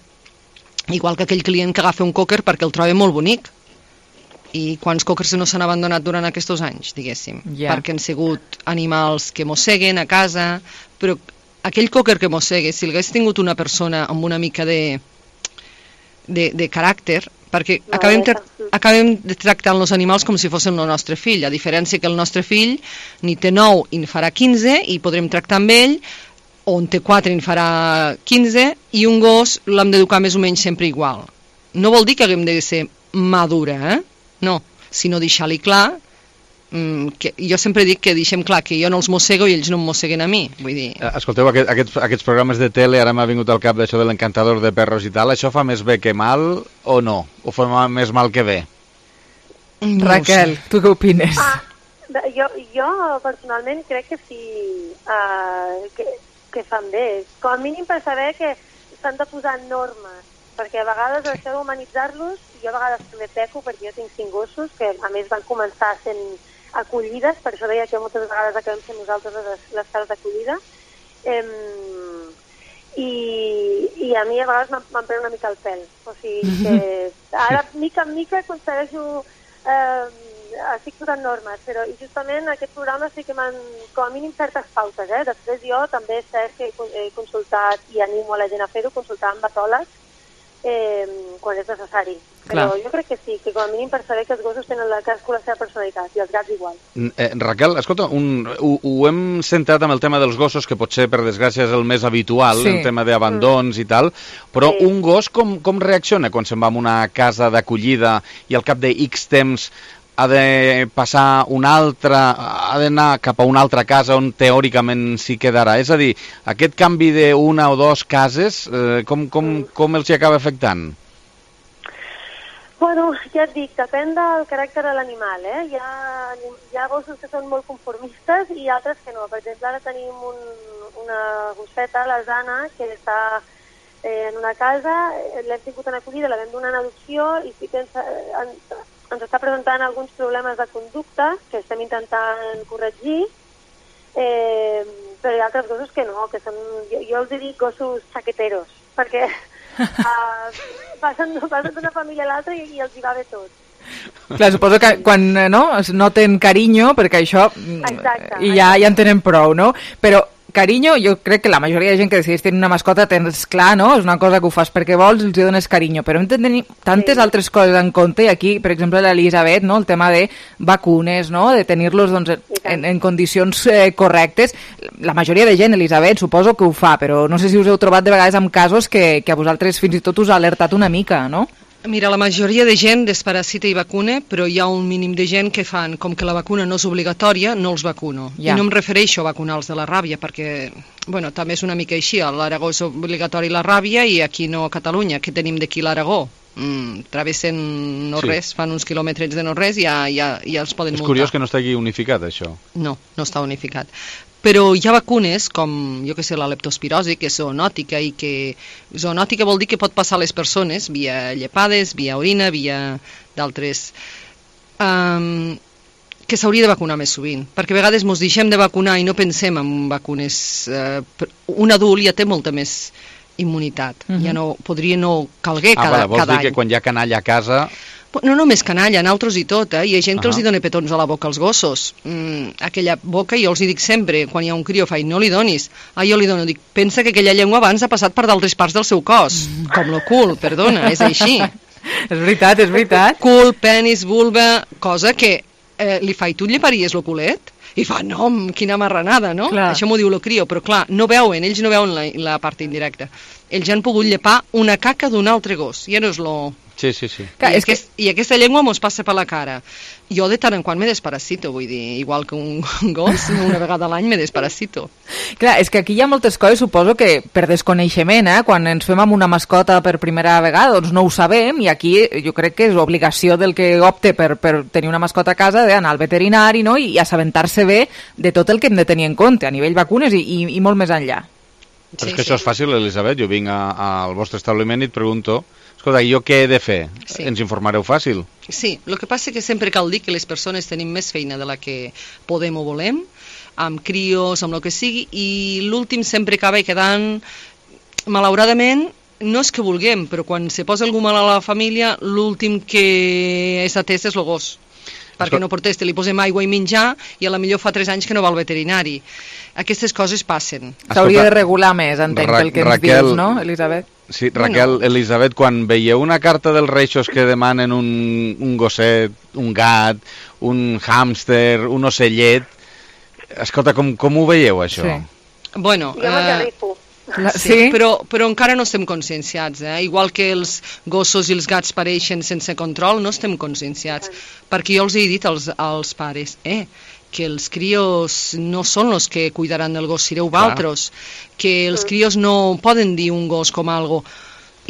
S7: igual que aquell client que agafa un cocker perquè el troba molt bonic. I quants cockers no s'han abandonat durant aquests anys, diguéssim, yeah. perquè han sigut animals que mosseguen a casa, però aquell cocker que mossega, si l'hagués tingut una persona amb una mica de, de, de caràcter, perquè no, acabem, tra acabem tractant els animals com si fossin el nostre fill, a diferència que el nostre fill ni té nou i en farà quinze i podrem tractar amb ell, o en té quatre i en farà quinze, i un gos l'hem d'educar més o menys sempre igual. No vol dir que haguem de ser madura, eh? No, sinó deixar-li clar, mm, que jo sempre dic que deixem clar que jo no els mossego i ells no em mosseguen a mi. Vull dir...
S8: Escolteu, aquest, aquests, aquests programes de tele, ara m'ha vingut al cap d'això de l'encantador de perros i tal, això fa més bé que mal o no? O fa més mal que bé?
S3: No Raquel, tu què opines?
S11: Ah, jo, jo personalment crec que sí, uh, que, que fan bé. Com a mínim per saber que s'han de posar normes, perquè a vegades això d'humanitzar-los, jo a vegades també peco perquè jo tinc cinc gossos que a més van començar sent acollides, per això deia que moltes vegades acabem sent nosaltres les, les cases d'acollida, eh, i, i a mi a vegades m'han pres una mica el pèl, o sigui que ara mica en mica aconsegueixo eh, estic posant normes, però i justament aquest programa sí que m'han, com a mínim certes pautes, eh? Després jo també sé que he consultat i animo a la gent a fer-ho, consultar amb etòlegs Eh, quan és necessari. Però Clar. jo crec que sí, que com a mínim per saber que els gossos tenen la cadascú la seva personalitat i els gats igual.
S8: Eh, Raquel, escolta, un, ho, ho hem centrat amb el tema dels gossos, que potser per desgràcia és el més habitual, sí. el tema d'abandons mm. i tal, però sí. un gos com, com reacciona quan se'n va a una casa d'acollida i al cap de X temps ha de passar una altra, ha d'anar cap a una altra casa on teòricament s'hi quedarà? És a dir, aquest canvi d'una o dues cases, eh, com, com, com els hi acaba afectant?
S11: Bueno, ja et dic, depèn del caràcter de l'animal, eh? Hi ha, hi ha gossos que són molt conformistes i altres que no. Per exemple, ara tenim un, una gosseta, la Zana, que està eh, en una casa, l'hem tingut en acollida, la vam donar en adopció i sí que ens, en, ens està presentant alguns problemes de conducta que estem intentant corregir, eh, però hi ha altres gossos que no, que són, jo, jo els dic gossos chaqueteros, perquè uh, passen, passen d'una família a l'altra i, i els hi va bé tot.
S3: Clar, suposo que quan no, es noten carinyo, perquè això
S11: exacte,
S3: i ja, ja en tenen prou, no? Però carinyo, jo crec que la majoria de gent que decideix tenir una mascota tens clar, no? És una cosa que ho fas perquè vols i els dones carinyo, però hem de tenir tantes sí. altres coses en compte, i aquí, per exemple, l'Elisabet, no? El tema de vacunes, no? De tenir-los doncs, en, en condicions eh, correctes. La majoria de gent, Elisabet, suposo que ho fa, però no sé si us heu trobat de vegades amb casos que, que a vosaltres fins i tot us ha alertat una mica, no?
S7: Mira, la majoria de gent desparasita i vacuna, però hi ha un mínim de gent que fan, com que la vacuna no és obligatòria, no els vacuno.
S3: Ja.
S7: I no em refereixo a vacunar els de la ràbia, perquè, bueno, també és una mica així, a l'Aragó és obligatori la ràbia i aquí no a Catalunya. Què tenim d'aquí l'Aragó? Mm, travessen no
S8: Sí.
S7: res, fan uns quilòmetres de no res i ja, ja, ja els poden
S8: És
S7: multar.
S8: curiós que no estigui unificat, això.
S7: No, no està unificat. Però hi ha vacunes com, jo que sé, la leptospirosi, que és zoonòtica i que... Zoonòtica vol dir que pot passar a les persones via llepades, via orina, via d'altres... Um, que s'hauria de vacunar més sovint, perquè a vegades ens deixem de vacunar i no pensem en vacunes. Uh, un adult ja té molta més immunitat,
S8: Mhm.
S7: ja no, podria no calguer
S8: Ah,
S7: cada,
S8: vale, vols
S7: cada
S8: dir
S7: any.
S8: que quan hi ha canalla a casa...
S7: No només canalla, nosaltres i tot, eh? Hi ha gent que
S8: Ahà.
S7: els hi dona petons a la boca als gossos. Mm, aquella boca, jo els hi dic sempre, quan hi ha un crió, faig, no li donis. Ah, jo li dono, dic, pensa que aquella llengua abans ha passat per d'altres parts del seu cos. Mm. Com lo cul, perdona, és així.
S3: És veritat, és veritat.
S7: Cul, penis, vulva, cosa que eh, li faig, tu et lleparies lo culet? I fa, no, quina marranada, no?
S3: Clar.
S7: Això m'ho diu lo crió, però clar, no veuen, ells no veuen la, la part indirecta. Ells han pogut llepar una caca d'un altre gos, ja no és lo...
S8: Sí, sí, sí.
S7: Clar, I, aquest, I aquesta llengua mos passa per la cara. Jo de tant en quant me desparasito, vull dir, igual que un gos, una vegada a l'any me desparasito.
S3: Clar, és que aquí hi ha moltes coses, suposo que per desconeixement, eh? Quan ens fem amb una mascota per primera vegada, doncs no ho sabem, i aquí jo crec que és obligació del que opte per, per tenir una mascota a casa d'anar al veterinari, no? I, i assabentar-se bé de tot el que hem de tenir en compte, a nivell vacunes i, i, i molt més enllà.
S8: Però és que això és fàcil, Elisabet. Jo vinc a, al vostre establiment i et pregunto, escolta, jo què he de fer?
S7: Sí.
S8: Ens informareu fàcil?
S7: Sí, el que passa que sempre cal dir que les persones tenim més feina de la que podem o volem, amb crios, amb el que sigui, i l'últim sempre acaba quedant, malauradament, no és que vulguem, però quan se posa algú mal a la família, l'últim que és atès és el gos. Perquè no proteste, li posem aigua i menjar i a la millor fa tres anys que no va al veterinari. Aquestes coses passen.
S3: S'hauria de regular més, entenc, pel que ens
S8: Raquel,
S3: dius, no, Elisabet?
S8: Sí, Raquel, bueno. Elisabet, quan veieu una carta dels Reixos que demanen un, un gosset, un gat, un hàmster, un ocellet, escolta, com, com ho veieu, això?
S7: Sí. Bueno,
S11: Jo m'agarrifo.
S7: La, sí, sí? Però, però encara no estem conscienciats, eh? Igual que els gossos i els gats pareixen sense control, no estem conscienciats, perquè jo els he dit als, als pares, eh, que els crios no són els que cuidaran del gos, sereu valtros, que els crios no poden dir un gos com algo,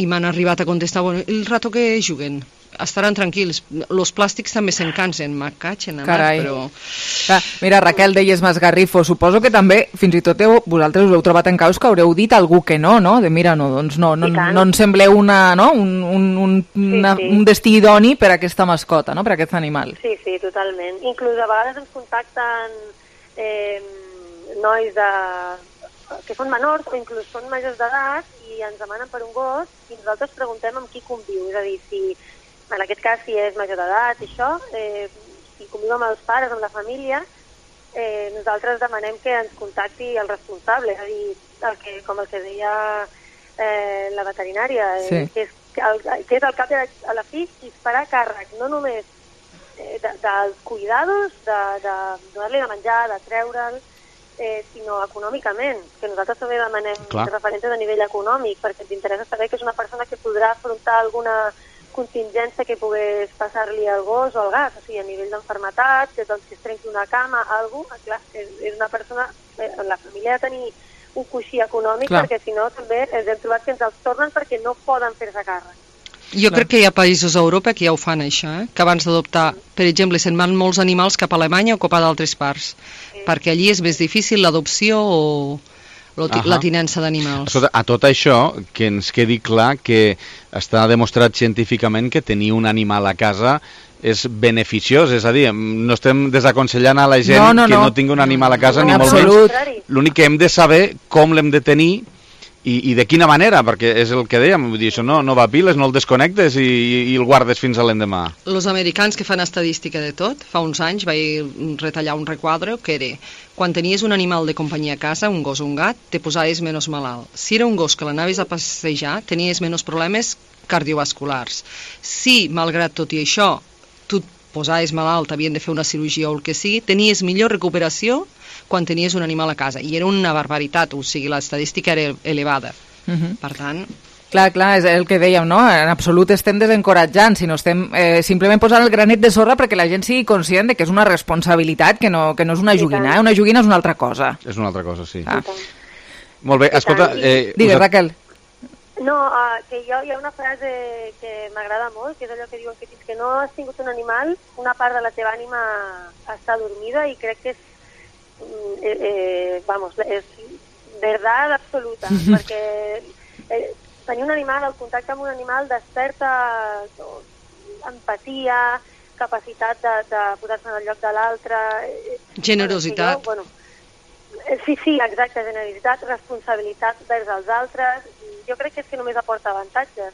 S7: i m'han arribat a contestar, bueno, el rato que juguen, estaran tranquils, los plàstics també se'n cansen, m'acatxen,
S3: Carai.
S7: però...
S3: Clar, mira, Raquel, deies m'esgarrifo, suposo que també, fins i tot heu, vosaltres us heu trobat en caus que haureu dit a algú que no, no? De mira, no, doncs no, no, no en sembleu una, no? un, un, un, una,
S11: Sí, sí.
S3: un destí idoni per a aquesta mascota, no? Per a aquest animal.
S11: Sí, sí, totalment. Inclús a vegades ens contacten eh, nois de, que són menors o inclús són majors d'edat i ens demanen per un gos i nosaltres preguntem amb qui conviu, és a dir, si en aquest cas si és major d'edat i això, eh, si conviu amb els pares, amb la família, eh, nosaltres demanem que ens contacti el responsable, és a dir, el que, com el que deia eh, la veterinària, eh,
S3: Sí.
S11: que, és, que, el, que és el cap de, a la fi qui es farà càrrec, no només eh, de, dels cuidados, de, de donar-li de menjar, de treure'l, eh, sinó econòmicament, que nosaltres també demanem
S8: Clar.
S11: referències a nivell econòmic, perquè ens interessa saber que és una persona que podrà afrontar alguna contingència que pogués passar-li al gos o al gat, o sigui, a nivell d'enfermetat, que doncs, si es trenqui una cama, algú, clar, és, és una persona, eh, la família ha de tenir un coixí econòmic,
S7: Clar.
S11: perquè si no també ens hem trobat que ens els tornen perquè no poden fer-se càrrec.
S7: Jo crec que hi ha països a Europa que ja ho fan, això, eh? Que abans d'adoptar, per exemple, se'n van molts animals cap a Alemanya o cap a d'altres parts, sí. perquè allí és més difícil l'adopció o
S8: Ahà.
S7: la tinença d'animals.
S8: Escolta, a tot això, que ens quedi clar que està demostrat científicament que tenir un animal a casa és beneficiós, és a dir, no estem desaconsellant a la gent
S3: No, no,
S8: que
S3: no.
S8: no tingui un animal a casa,
S3: En
S8: ni molt
S3: absolut.
S8: menys. L'únic que hem de saber com l'hem de tenir i, i de quina manera, perquè és el que dèiem, vull dir, això no, no va a piles, no el desconnectes i, i el guardes fins a l'endemà.
S7: Els americans que fan estadística de tot, fa uns anys vaig retallar un requadre que era quan tenies un animal de companyia a casa, un gos o un gat, te posaves menys malalt. Si era un gos que l'anaves a passejar, tenies menys problemes cardiovasculars. Si, malgrat tot i això, tu et posaves malalt, havien de fer una cirurgia o el que sigui, tenies millor recuperació quan tenies un animal a casa. I era una barbaritat, o sigui, l'estadística era elevada.
S3: Uh -huh.
S7: Per tant...
S3: Clar, clar, és el que dèiem, no? En absolut estem desencoratjant, sinó estem eh, simplement posant el granet de sorra perquè la gent sigui conscient de que és una responsabilitat, que no, que no és una joguina, eh? Una joguina és una altra cosa.
S8: És una altra cosa, sí. Ah. Molt bé, escolta... Eh,
S3: Digues, us... Raquel.
S11: No, uh, que jo, hi ha una frase que m'agrada molt, que és allò que diuen que fins que no has tingut un animal, una part de la teva ànima està dormida, i crec que és, eh, eh, vamos, és verdad absoluta, mm-hmm. perquè eh, tenir un animal, el contacte amb un animal desperta empatia, capacitat de, de posar-se en el lloc de l'altre...
S7: Generositat.
S11: Bueno, sí, sí, exacte, generositat, responsabilitat vers els altres. Jo crec que és que només aporta avantatges.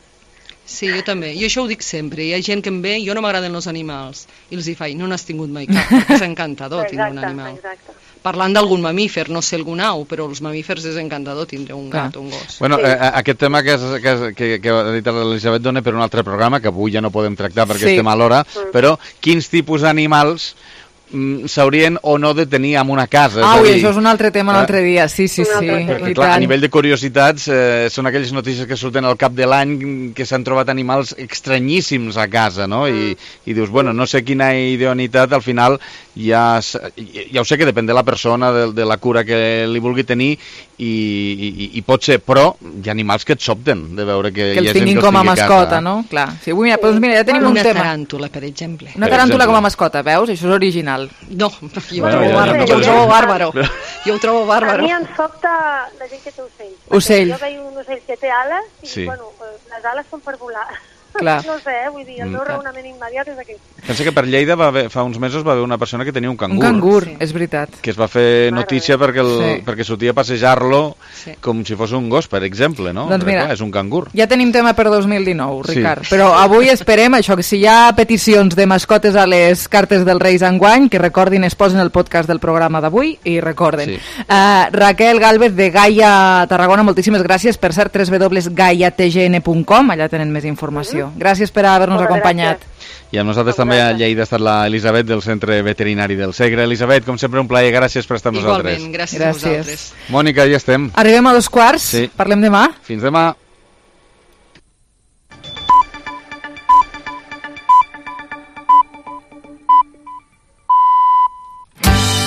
S7: Sí, jo també. Jo això ho dic sempre. Hi ha gent que em ve, jo no m'agraden els animals. I els hi faig, no n'has tingut mai cap, perquè és encantador tindre un animal.
S11: Exacte.
S7: Parlant d'algun mamífer, no sé algun au, però els mamífers és encantador tindre un gat o un gos.
S8: Bueno, sí. eh, aquest tema que, és, que, és, que, que ha dit l'Elisabet dona per un altre programa, que avui ja no podem tractar perquè sí. estem a l'hora, mm. però quins tipus d'animals s'haurien o no de tenir en una casa.
S3: Ah, ui, això és un altre tema l'altre dia, sí, sí, sí.
S8: Perquè, clar, a nivell de curiositats, eh, són aquelles notícies que surten al cap de l'any que s'han trobat animals estranyíssims a casa, no? I, i dius, bueno, no sé quina idoneïtat, al final ja, ja ho sé que depèn de la persona, de, de la cura que li vulgui tenir, i, i, i pot ser, però hi ha animals que et sobten de veure que,
S3: que
S8: hi ha
S3: gent que els
S8: tingui
S3: com a mascota, no? Clar. Sí, avui, mira, doncs mira, ja tenim
S7: una
S3: un tema.
S7: Una taràntula, per exemple.
S3: Una taràntula com a mascota, veus? Això és original.
S7: No, jo ho trobo bàrbaro. Jo ho trobo bàrbaro. Jo ho trobo bàrbaro.
S11: A mi em sobta la gent que té ocells.
S3: Ocell.
S11: Jo veig un ocell que té ales i,
S8: sí.
S11: bueno, les ales són per volar.
S3: Clar.
S11: No sé, eh? Vull dir, el meu raonament immediat és aquest.
S8: Pensa que per Lleida va haver, fa uns mesos va haver una persona que tenia un cangur.
S3: Un cangur, sí. És veritat.
S8: Que es va fer notícia perquè, el,
S3: sí.
S8: perquè sortia a passejar-lo sí. com si fos un gos, per exemple, no?
S3: Doncs mira,
S8: clar, és un cangur.
S3: Ja tenim tema per dos mil dinou, Ricard.
S8: Sí.
S3: Però avui esperem això, que si hi ha peticions de mascotes a les cartes dels Reis enguany, que recordin, es posen el podcast del programa d'avui i recorden. Sí. Uh, Raquel Gálvez de Gaia Tarragona, moltíssimes gràcies. Per cert, w w w punt gaia t g n punt com, allà tenen més informació. Mm-hmm. Gràcies per haver-nos acompanyat.
S8: I amb nosaltres també a Lleida ha estat la Elisabet del Centre Veterinari del Segre. Elisabet, com sempre, un plaer. Gràcies per estar amb nosaltres.
S7: Igualment, gràcies, gràcies a vosaltres.
S8: Mònica, ja estem.
S3: Arribem a dos quarts.
S8: Sí.
S3: Parlem demà.
S8: Fins demà.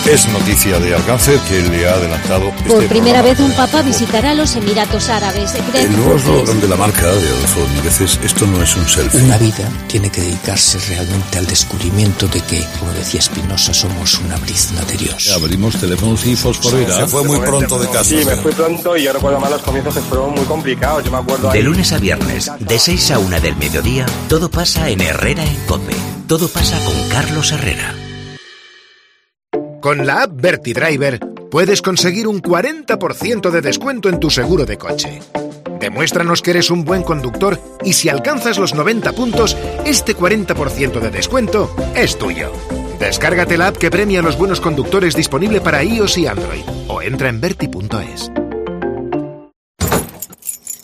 S14: Es noticia de alcance que le ha adelantado...
S15: Por
S14: este
S15: primera vez un papa visitará los Emiratos Árabes.
S14: El nuevo eslogan de la marca de Adolfo Domínguez, esto no es un selfie.
S16: Una vida tiene que dedicarse realmente al descubrimiento de que, como decía Spinoza, somos una brizna de Dios.
S14: Abrimos teléfonos y fosforera. Se fue muy pronto de casa.
S17: Sí, me fui pronto y yo recuerdo más los comienzos que fueron muy complicados. Yo me acuerdo...
S19: De lunes a viernes, de seis a una del mediodía, todo pasa en Herrera en COPE. Todo pasa con Carlos Herrera.
S25: Con la app VertiDriver puedes conseguir un cuarenta por ciento de descuento en tu seguro de coche. Demuéstranos que eres un buen conductor y si alcanzas los noventa puntos, este cuarenta por ciento de descuento es tuyo. Descárgate la app que premia a los buenos conductores, disponible para iOS y Android, o entra en verti punto es.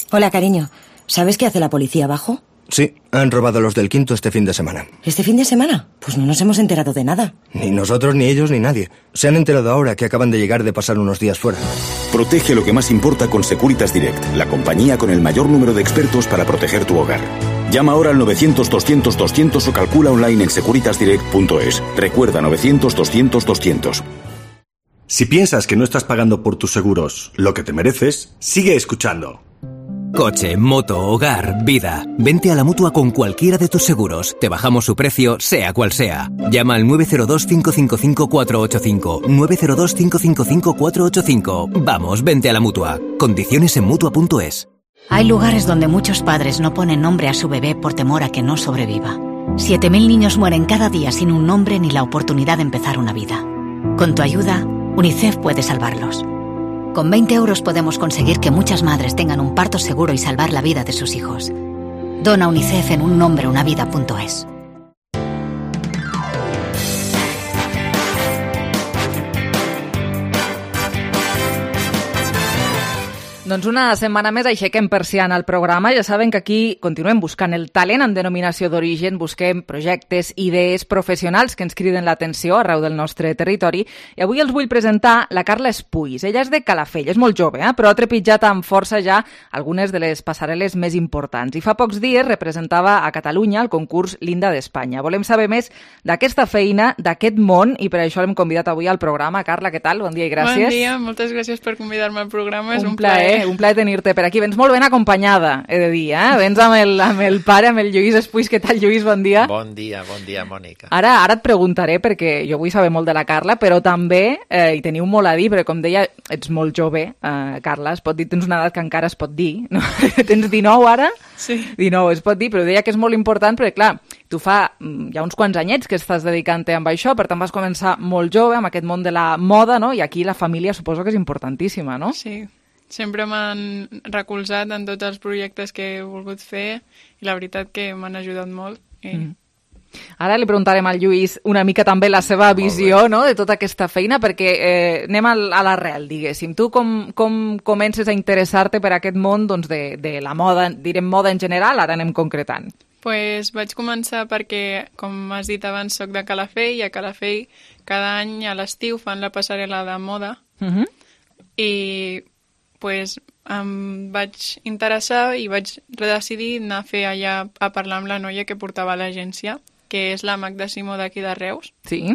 S26: Hola, cariño. ¿Sabes qué hace la policía abajo?
S27: Sí, han robado los del quinto este fin de semana.
S26: ¿Este fin de semana? Pues no nos hemos enterado de nada.
S27: Ni nosotros, ni ellos, ni nadie. Se han enterado ahora que acaban de llegar de pasar unos días fuera.
S28: Protege lo que más importa con Securitas Direct, la compañía con el mayor número de expertos para proteger tu hogar. Llama ahora al novecientos doscientos doscientos o calcula online en securitas direct punto es. Recuerda, novecientos doscientos doscientos.
S29: Si piensas que no estás pagando por tus seguros lo que te mereces, sigue escuchando.
S30: Coche, moto, hogar, vida. Vente a la Mutua con cualquiera de tus seguros. Te bajamos su precio, sea cual sea. Llama al nueve cero dos, cinco cinco cinco, cuatro ocho cinco. nueve cero dos, cinco cinco cinco, cuatro ocho cinco. Vamos, vente a la Mutua. Condiciones en mutua punto es.
S31: Hay lugares donde muchos padres no ponen nombre a su bebé por temor a que no sobreviva. siete mil niños mueren cada día sin un nombre ni la oportunidad de empezar una vida. Con tu ayuda, UNICEF puede salvarlos. Con veinte euros podemos conseguir que muchas madres tengan un parto seguro y salvar la vida de sus hijos. Dona UNICEF en un nombre una vida punto es.
S3: Doncs una setmana més aixequem persiana al programa. Ja saben que aquí continuem buscant el talent en denominació d'origen, busquem projectes, idees professionals que ens criden l'atenció arreu del nostre territori. I avui els vull presentar la Carla Espuis. Ella és de Calafell, és molt jove, eh? Però ha trepitjat amb força ja algunes de les passarel·les més importants. I fa pocs dies representava a Catalunya el concurs Linda d'Espanya. Volem saber més d'aquesta feina, d'aquest món, i per això l'hem convidat avui al programa. Carla, què tal? Bon dia i gràcies.
S1: Bon dia, moltes gràcies per convidar-me al programa. És
S3: un,
S1: un plaer.
S3: Un plaer tenir-te per aquí. Vens molt ben acompanyada, he de dir, eh? Vens amb el, amb el pare, amb el Lluís Espuis. Què tal, Lluís? Bon dia.
S2: Bon dia, bon dia, Mònica.
S3: Ara, ara et preguntaré, perquè jo vull saber molt de la Carla, però també eh, hi teniu molt a dir, perquè com deia, ets molt jove, eh, Carla, es pot dir, tens una edat que encara es pot dir, no? Tens dinou ara?
S1: Sí.
S3: dinou, es pot dir, però deia que és molt important, perquè clar, tu fa ja uns quants anyets que estàs dedicant-te amb això, per tant vas començar molt jove amb aquest món de la moda, no? I aquí la família suposo que és importantíssima, no?
S1: Sí. Sempre m'han recolzat en tots els projectes que he volgut fer i la veritat que m'han ajudat molt. I...
S3: Mm. Ara li preguntarem al Lluís una mica també la seva visió, no?, de tota aquesta feina, perquè eh, anem a l'arrel, diguéssim. Tu com, com comences a interessar-te per aquest món doncs, de, de la moda, direm moda en general, ara anem concretant?
S1: Pues vaig començar perquè, com has dit abans, soc de Calafell, i a Calafell cada any a l'estiu fan la passarel·la de moda,
S3: Uh-huh.
S1: i pues, em vaig interessar i vaig decidir anar a fer allà a parlar amb la noia que portava a l'agència, que és la Magda Simó d'aquí de Reus.
S3: Sí.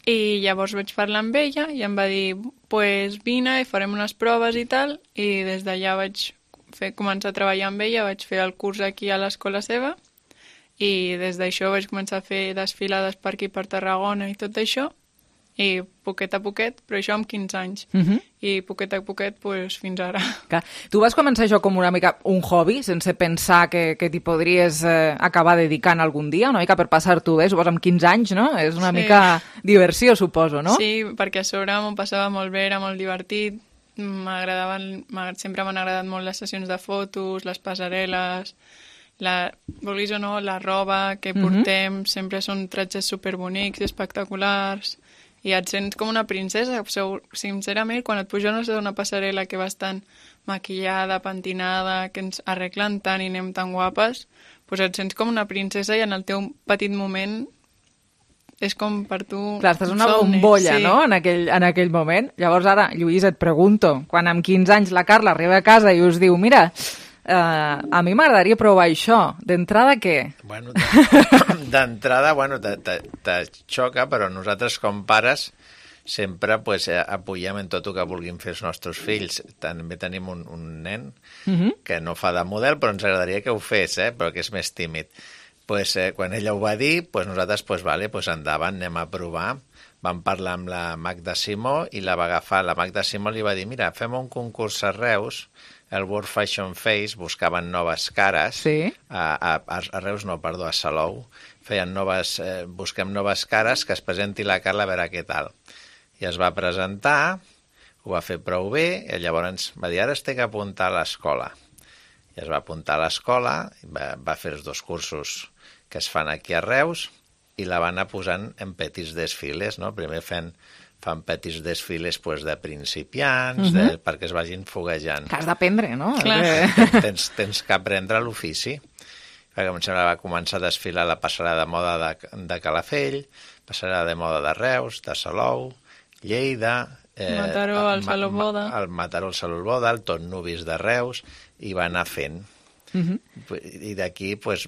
S1: I llavors vaig parlar amb ella i em va dir, pues vine i farem unes proves i tal, i des d'allà vaig fer, començar a treballar amb ella, vaig fer el curs aquí a l'escola seva, i des d'això vaig començar a fer desfilades per aquí per Tarragona i tot això, i poquet a poquet, però això amb quinze anys.
S3: Uh-huh.
S1: I poquet a poquet, pues, fins ara.
S3: Clar. Tu vas començar això com una mica un hobby, sense pensar que, que t'hi podries eh, acabar dedicant algun dia, una mica per passar-t'ho bé, suposo amb quinze anys, no? És una
S1: Sí.
S3: mica diversió, suposo, no?
S1: Sí, perquè a sobre m'ho passava molt bé, era molt divertit, m'agradaven, sempre m'han agradat molt les sessions de fotos, les passarel·les, la, vulguis o no, la roba que portem, uh-huh. sempre són tratges superbonics, espectaculars, i et sents com una princesa. Sincerament, quan et pugen a una passarel·la que vas tan maquillada, pentinada, que ens arreglen tant i anem tan guapes, doncs et sents com una princesa i en el teu petit moment és com per tu...
S3: Clar, estàs una
S1: somni,
S3: bombolla,
S1: sí.
S3: no?, en aquell, en aquell moment. Llavors ara, Lluís, et pregunto, quan amb quinze anys la Carla arriba a casa i us diu, mira, eh, a mi m'agradaria provar això, d'entrada què?
S2: Bueno, d'entrada, bueno, te, te, te xoca, però nosaltres com pares sempre pues, apoyem en tot el que vulguin fer els nostres fills. També tenim un, un nen
S3: Uh-huh.
S2: que no fa de model, però ens agradaria que ho fes, eh? Però que és més tímid. Pues, eh, quan ella ho va dir, pues, nosaltres, pues, vale, pues, endavant, anem a provar. Vam parlar amb la Magda Simó i la va agafar. La Magda Simó li va dir, mira, fem un concurs a Reus, el World Fashion Face, buscaven noves cares,
S3: sí.
S2: a, a, a Reus no, perdó, a Salou, feien noves, eh, busquem noves cares, que es presenti la Carla a veure què tal. I es va presentar, ho va fer prou bé, i llavors va dir, ara es té que apuntar a l'escola. I es va apuntar a l'escola, va, va fer els dos cursos que es fan aquí a Reus, i la van anar posant en petits desfiles, no? Primer fent fan petits desfiles pues, de principiants, uh-huh. de, perquè es vagin foguejant.
S3: Que has d'aprendre, no?
S2: Clar. Tens, tens que aprendre l'ofici. Perquè em sembla va començar a desfilar la passarel·la de moda de, de Calafell, passarel·la de moda de Reus, de Salou, Lleida...
S1: Eh, Mataró, el Salou Boda...
S3: Ah.
S2: El Mataró, el Salou Boda, el Tot Nubis de Reus, i va anar fent.
S3: Uh-huh.
S2: I d'aquí, pues,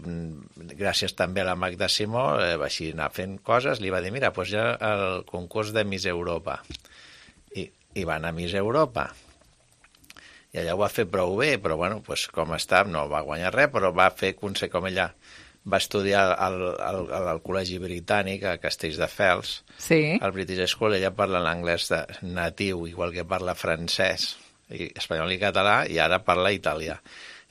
S2: gràcies també a la Magda Simó, eh, va així anar fent coses, li va dir, mira, pues ja el concurs de Miss Europa. I, i va anar a Miss Europa. I allà ho va fer prou bé, però bueno, pues, com està, no va guanyar res, però va fer, com ella va estudiar al, al, al Col·legi Britànic, a Castelldefels,
S3: sí.
S2: al British School, ella parla l'anglès natiu, igual que parla francès, i espanyol i català, i ara parla italià.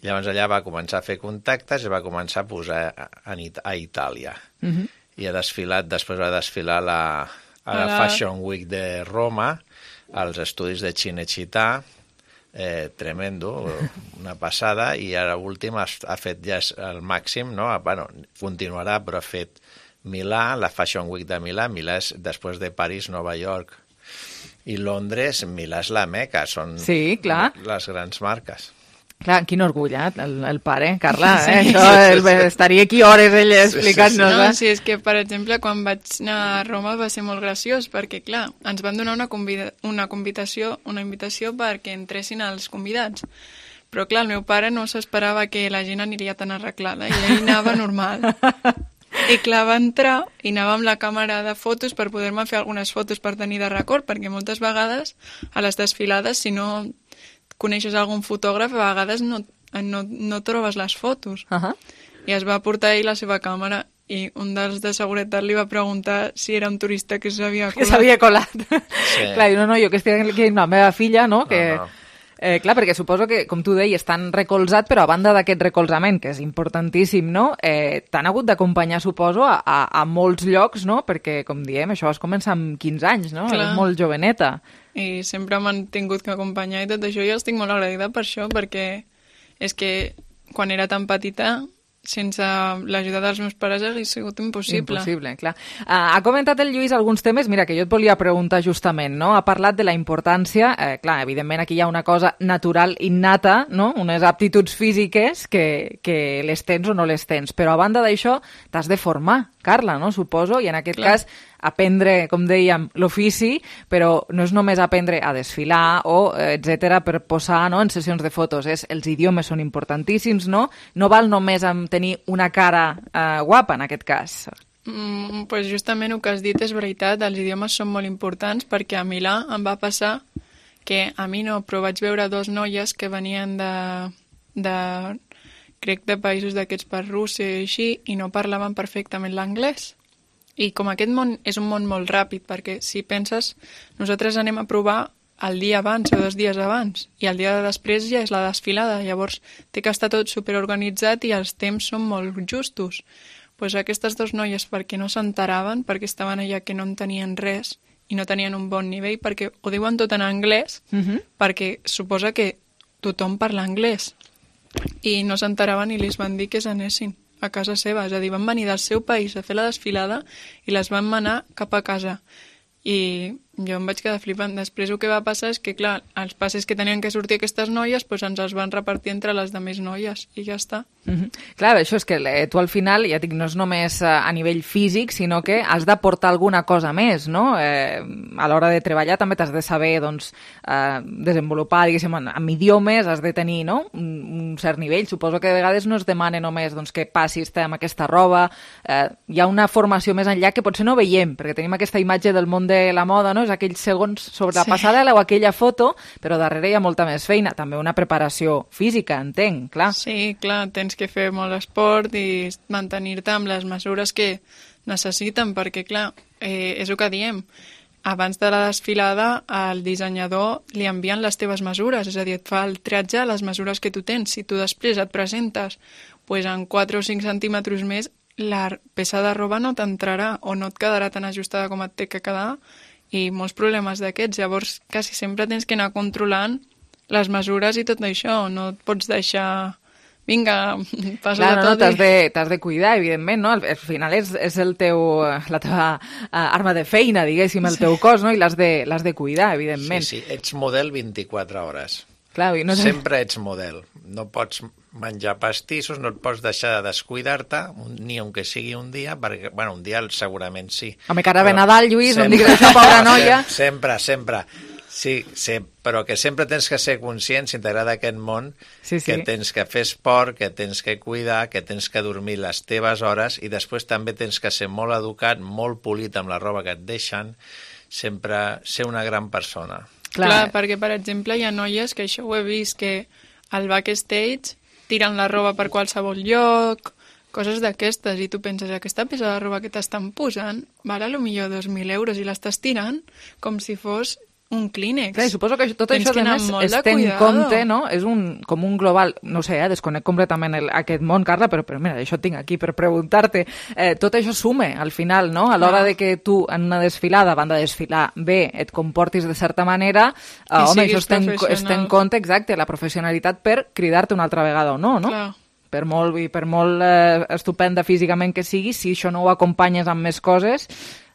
S2: Llavors allà va començar a fer contactes i va començar a posar a, a Itàlia.
S3: Uh-huh.
S2: I ha desfilat, després va desfilar la, a la
S1: Hola.
S2: Fashion Week de Roma, als estudis de Cinecittà, eh, tremendo, una passada, i ara últim ha, ha fet ja el màxim, no? Bueno, continuarà, però ha fet Milà, la Fashion Week de Milà, Milà és després de París, Nova York I Londres, Milà és la Meca, són
S3: sí, clar.
S2: les grans marques.
S3: Clar, quin orgull, eh? el, el pare, Carla, eh? Sí, això, el, estaria aquí hores ell explicant-nos.
S1: Sí, sí, sí. No, sí, és que, per exemple, quan vaig anar a Roma va ser molt graciós, perquè, clar, ens van donar una, convida una, convitació, una invitació perquè entressin els convidats. Però, clar, el meu pare no s'esperava que la gent aniria tan arreglada, i ell anava normal. I, clar, va entrar i anava amb la càmera de fotos per poder-me fer algunes fotos per tenir de record, perquè moltes vegades a les desfilades, si no coneixes algun fotògraf, a vegades no, no, no trobes les fotos.
S3: Uh -huh.
S1: I es va portar ell la seva càmera i un dels de seguretat li va preguntar si era un turista que s'havia colat.
S3: Que s'havia colat. Sí. Clar, no, no, jo que estic aquí amb la meva filla, no?, que... No, no. Eh, clar, perquè suposo que, com tu deies, estan recolzat, però a banda d'aquest recolzament, que és importantíssim, no?, eh, t'han hagut d'acompanyar, suposo, a, a, a molts llocs, no?, perquè, com diem, això vas començar amb quinze anys, no?,
S1: clar.
S3: És molt joveneta.
S1: I sempre m'han tingut que acompanyar i tot això, jo estic molt agraïda per això, perquè és que quan era tan petita, sense l'ajuda dels meus pares hauria sigut impossible.
S3: Impossible, clar. Uh, ha comentat el Lluís alguns temes, mira, que jo et volia preguntar justament, no? Ha parlat de la importància, eh, clar, evidentment aquí hi ha una cosa natural, innata, no?, unes aptituds físiques que, que les tens o no les tens, però a banda d'això t'has de formar, Carla, no?, suposo, i en aquest clar. cas aprendre, com dèiem, l'ofici, però no és només aprendre a desfilar o etcètera per posar, no?, en sessions de fotos. És, els idiomes són importantíssims, no? No val només amb tenir una cara eh, guapa, en aquest cas.
S1: Mm, pues justament el que has dit és veritat, els idiomes són molt importants, perquè a Milà em va passar que a mi no, però vaig veure dos noies que venien de, de crec de països d'aquests per Rússia i així, i no parlaven perfectament l'anglès. I com aquest món és un món molt ràpid, perquè si penses, nosaltres anem a provar el dia abans o dos dies abans, i el dia de després ja és la desfilada, llavors té que estar tot superorganitzat i els temps són molt justos. Pues aquestes dues noies, perquè no s'enteraven, perquè estaven allà que no en tenien res i no tenien un bon nivell, perquè ho diuen tot en anglès, uh-huh. perquè suposa que tothom parla anglès, i no s'enteraven i li van dir que s'anessin a casa seva, és a dir, van venir del seu país a fer la desfilada i les van manar cap a casa. I jo em vaig quedar flipant. Després el que va passar és que, clar, els passes que tenien que sortir aquestes noies, doncs ens els van repartir entre les demés noies i ja està.
S3: Mm-hmm. Clar, això és que eh, tu al final, ja dic, no és només eh, a nivell físic, sinó que has d'aportar alguna cosa més, no? Eh, a l'hora de treballar també t'has de saber, doncs, eh, desenvolupar, diguéssim, amb idiomes, has de tenir, no?, un, un cert nivell. Suposo que de vegades no es demana només, doncs, que passis amb aquesta roba. Eh, hi ha una formació més enllà que potser no veiem, perquè tenim aquesta imatge del món de la moda, no?, és aquells segons sobre la sí. passarel·la o aquella foto, però darrere hi ha molta més feina, també una preparació física, entenc, clar.
S1: Sí, clar, tens que fer molt esport i mantenir-te amb les mesures que necessiten, perquè, clar, eh, és el que diem, abans de la desfilada el dissenyador li envien les teves mesures, és a dir, et fa el triatge a les mesures que tu tens. Si tu després et presentes pues, en quatre o cinc centímetres més, la peça de roba no t'entrarà o no et quedarà tan ajustada com et té que quedar, i molts problemes d'aquests. Llavors, quasi sempre tens que anar controlant les mesures i tot això. No et pots deixar... Vinga, passa
S3: Clar,
S1: de
S3: no,
S1: tot.
S3: No, t'has de, t'has de cuidar, evidentment, no? Al, al final és, és el teu, la teva uh, arma de feina, diguéssim, el sí. teu cos, no? I l'has de, l'has de cuidar, evidentment.
S2: Sí, sí, ets model vint-i-quatre hores.
S3: Clar, no sé...
S2: Sempre ets model. No pots menjar pastissos, no et pots deixar de descuidar-te, ni aunque sigui un dia, perquè, bueno, un dia segurament sí.
S3: Home, que ara ve Nadal, Lluís, sempre, no em diguis això, pobra noia.
S2: Sempre, sempre. Sí, sí, però que sempre tens que ser conscient, si t'agrada aquest món, sí, sí. que tens que fer esport, que tens que cuidar, que tens que dormir les teves hores i després també tens que ser molt educat, molt polit amb la roba que et deixen, sempre ser una gran persona.
S1: Clar, Clar perquè, per exemple, hi ha noies que això ho he vist, que al backstage tiren la roba per qualsevol lloc, coses d'aquestes, i tu penses, aquesta peça de roba que t'estan posant val a lo millor dos mil euros i l'estàs tirant com si fos un clínex.
S3: Clar, suposo que tot Tens això, a més, es té en compte, no? És un, com un global... No sé, eh, desconec completament el, aquest món, Carla, però, però mira, això tinc aquí per preguntar-te. Eh, tot això sume, al final, no? A l'hora de que tu, en una desfilada, a banda de desfilar bé, et comportis de certa manera, eh, home, això es té, es té en compte, exacte, la professionalitat per cridar-te una altra vegada o no, no?
S1: Clar.
S3: Per molt, i per molt eh, estupenda físicament que sigui, si això no ho acompanyes amb més coses,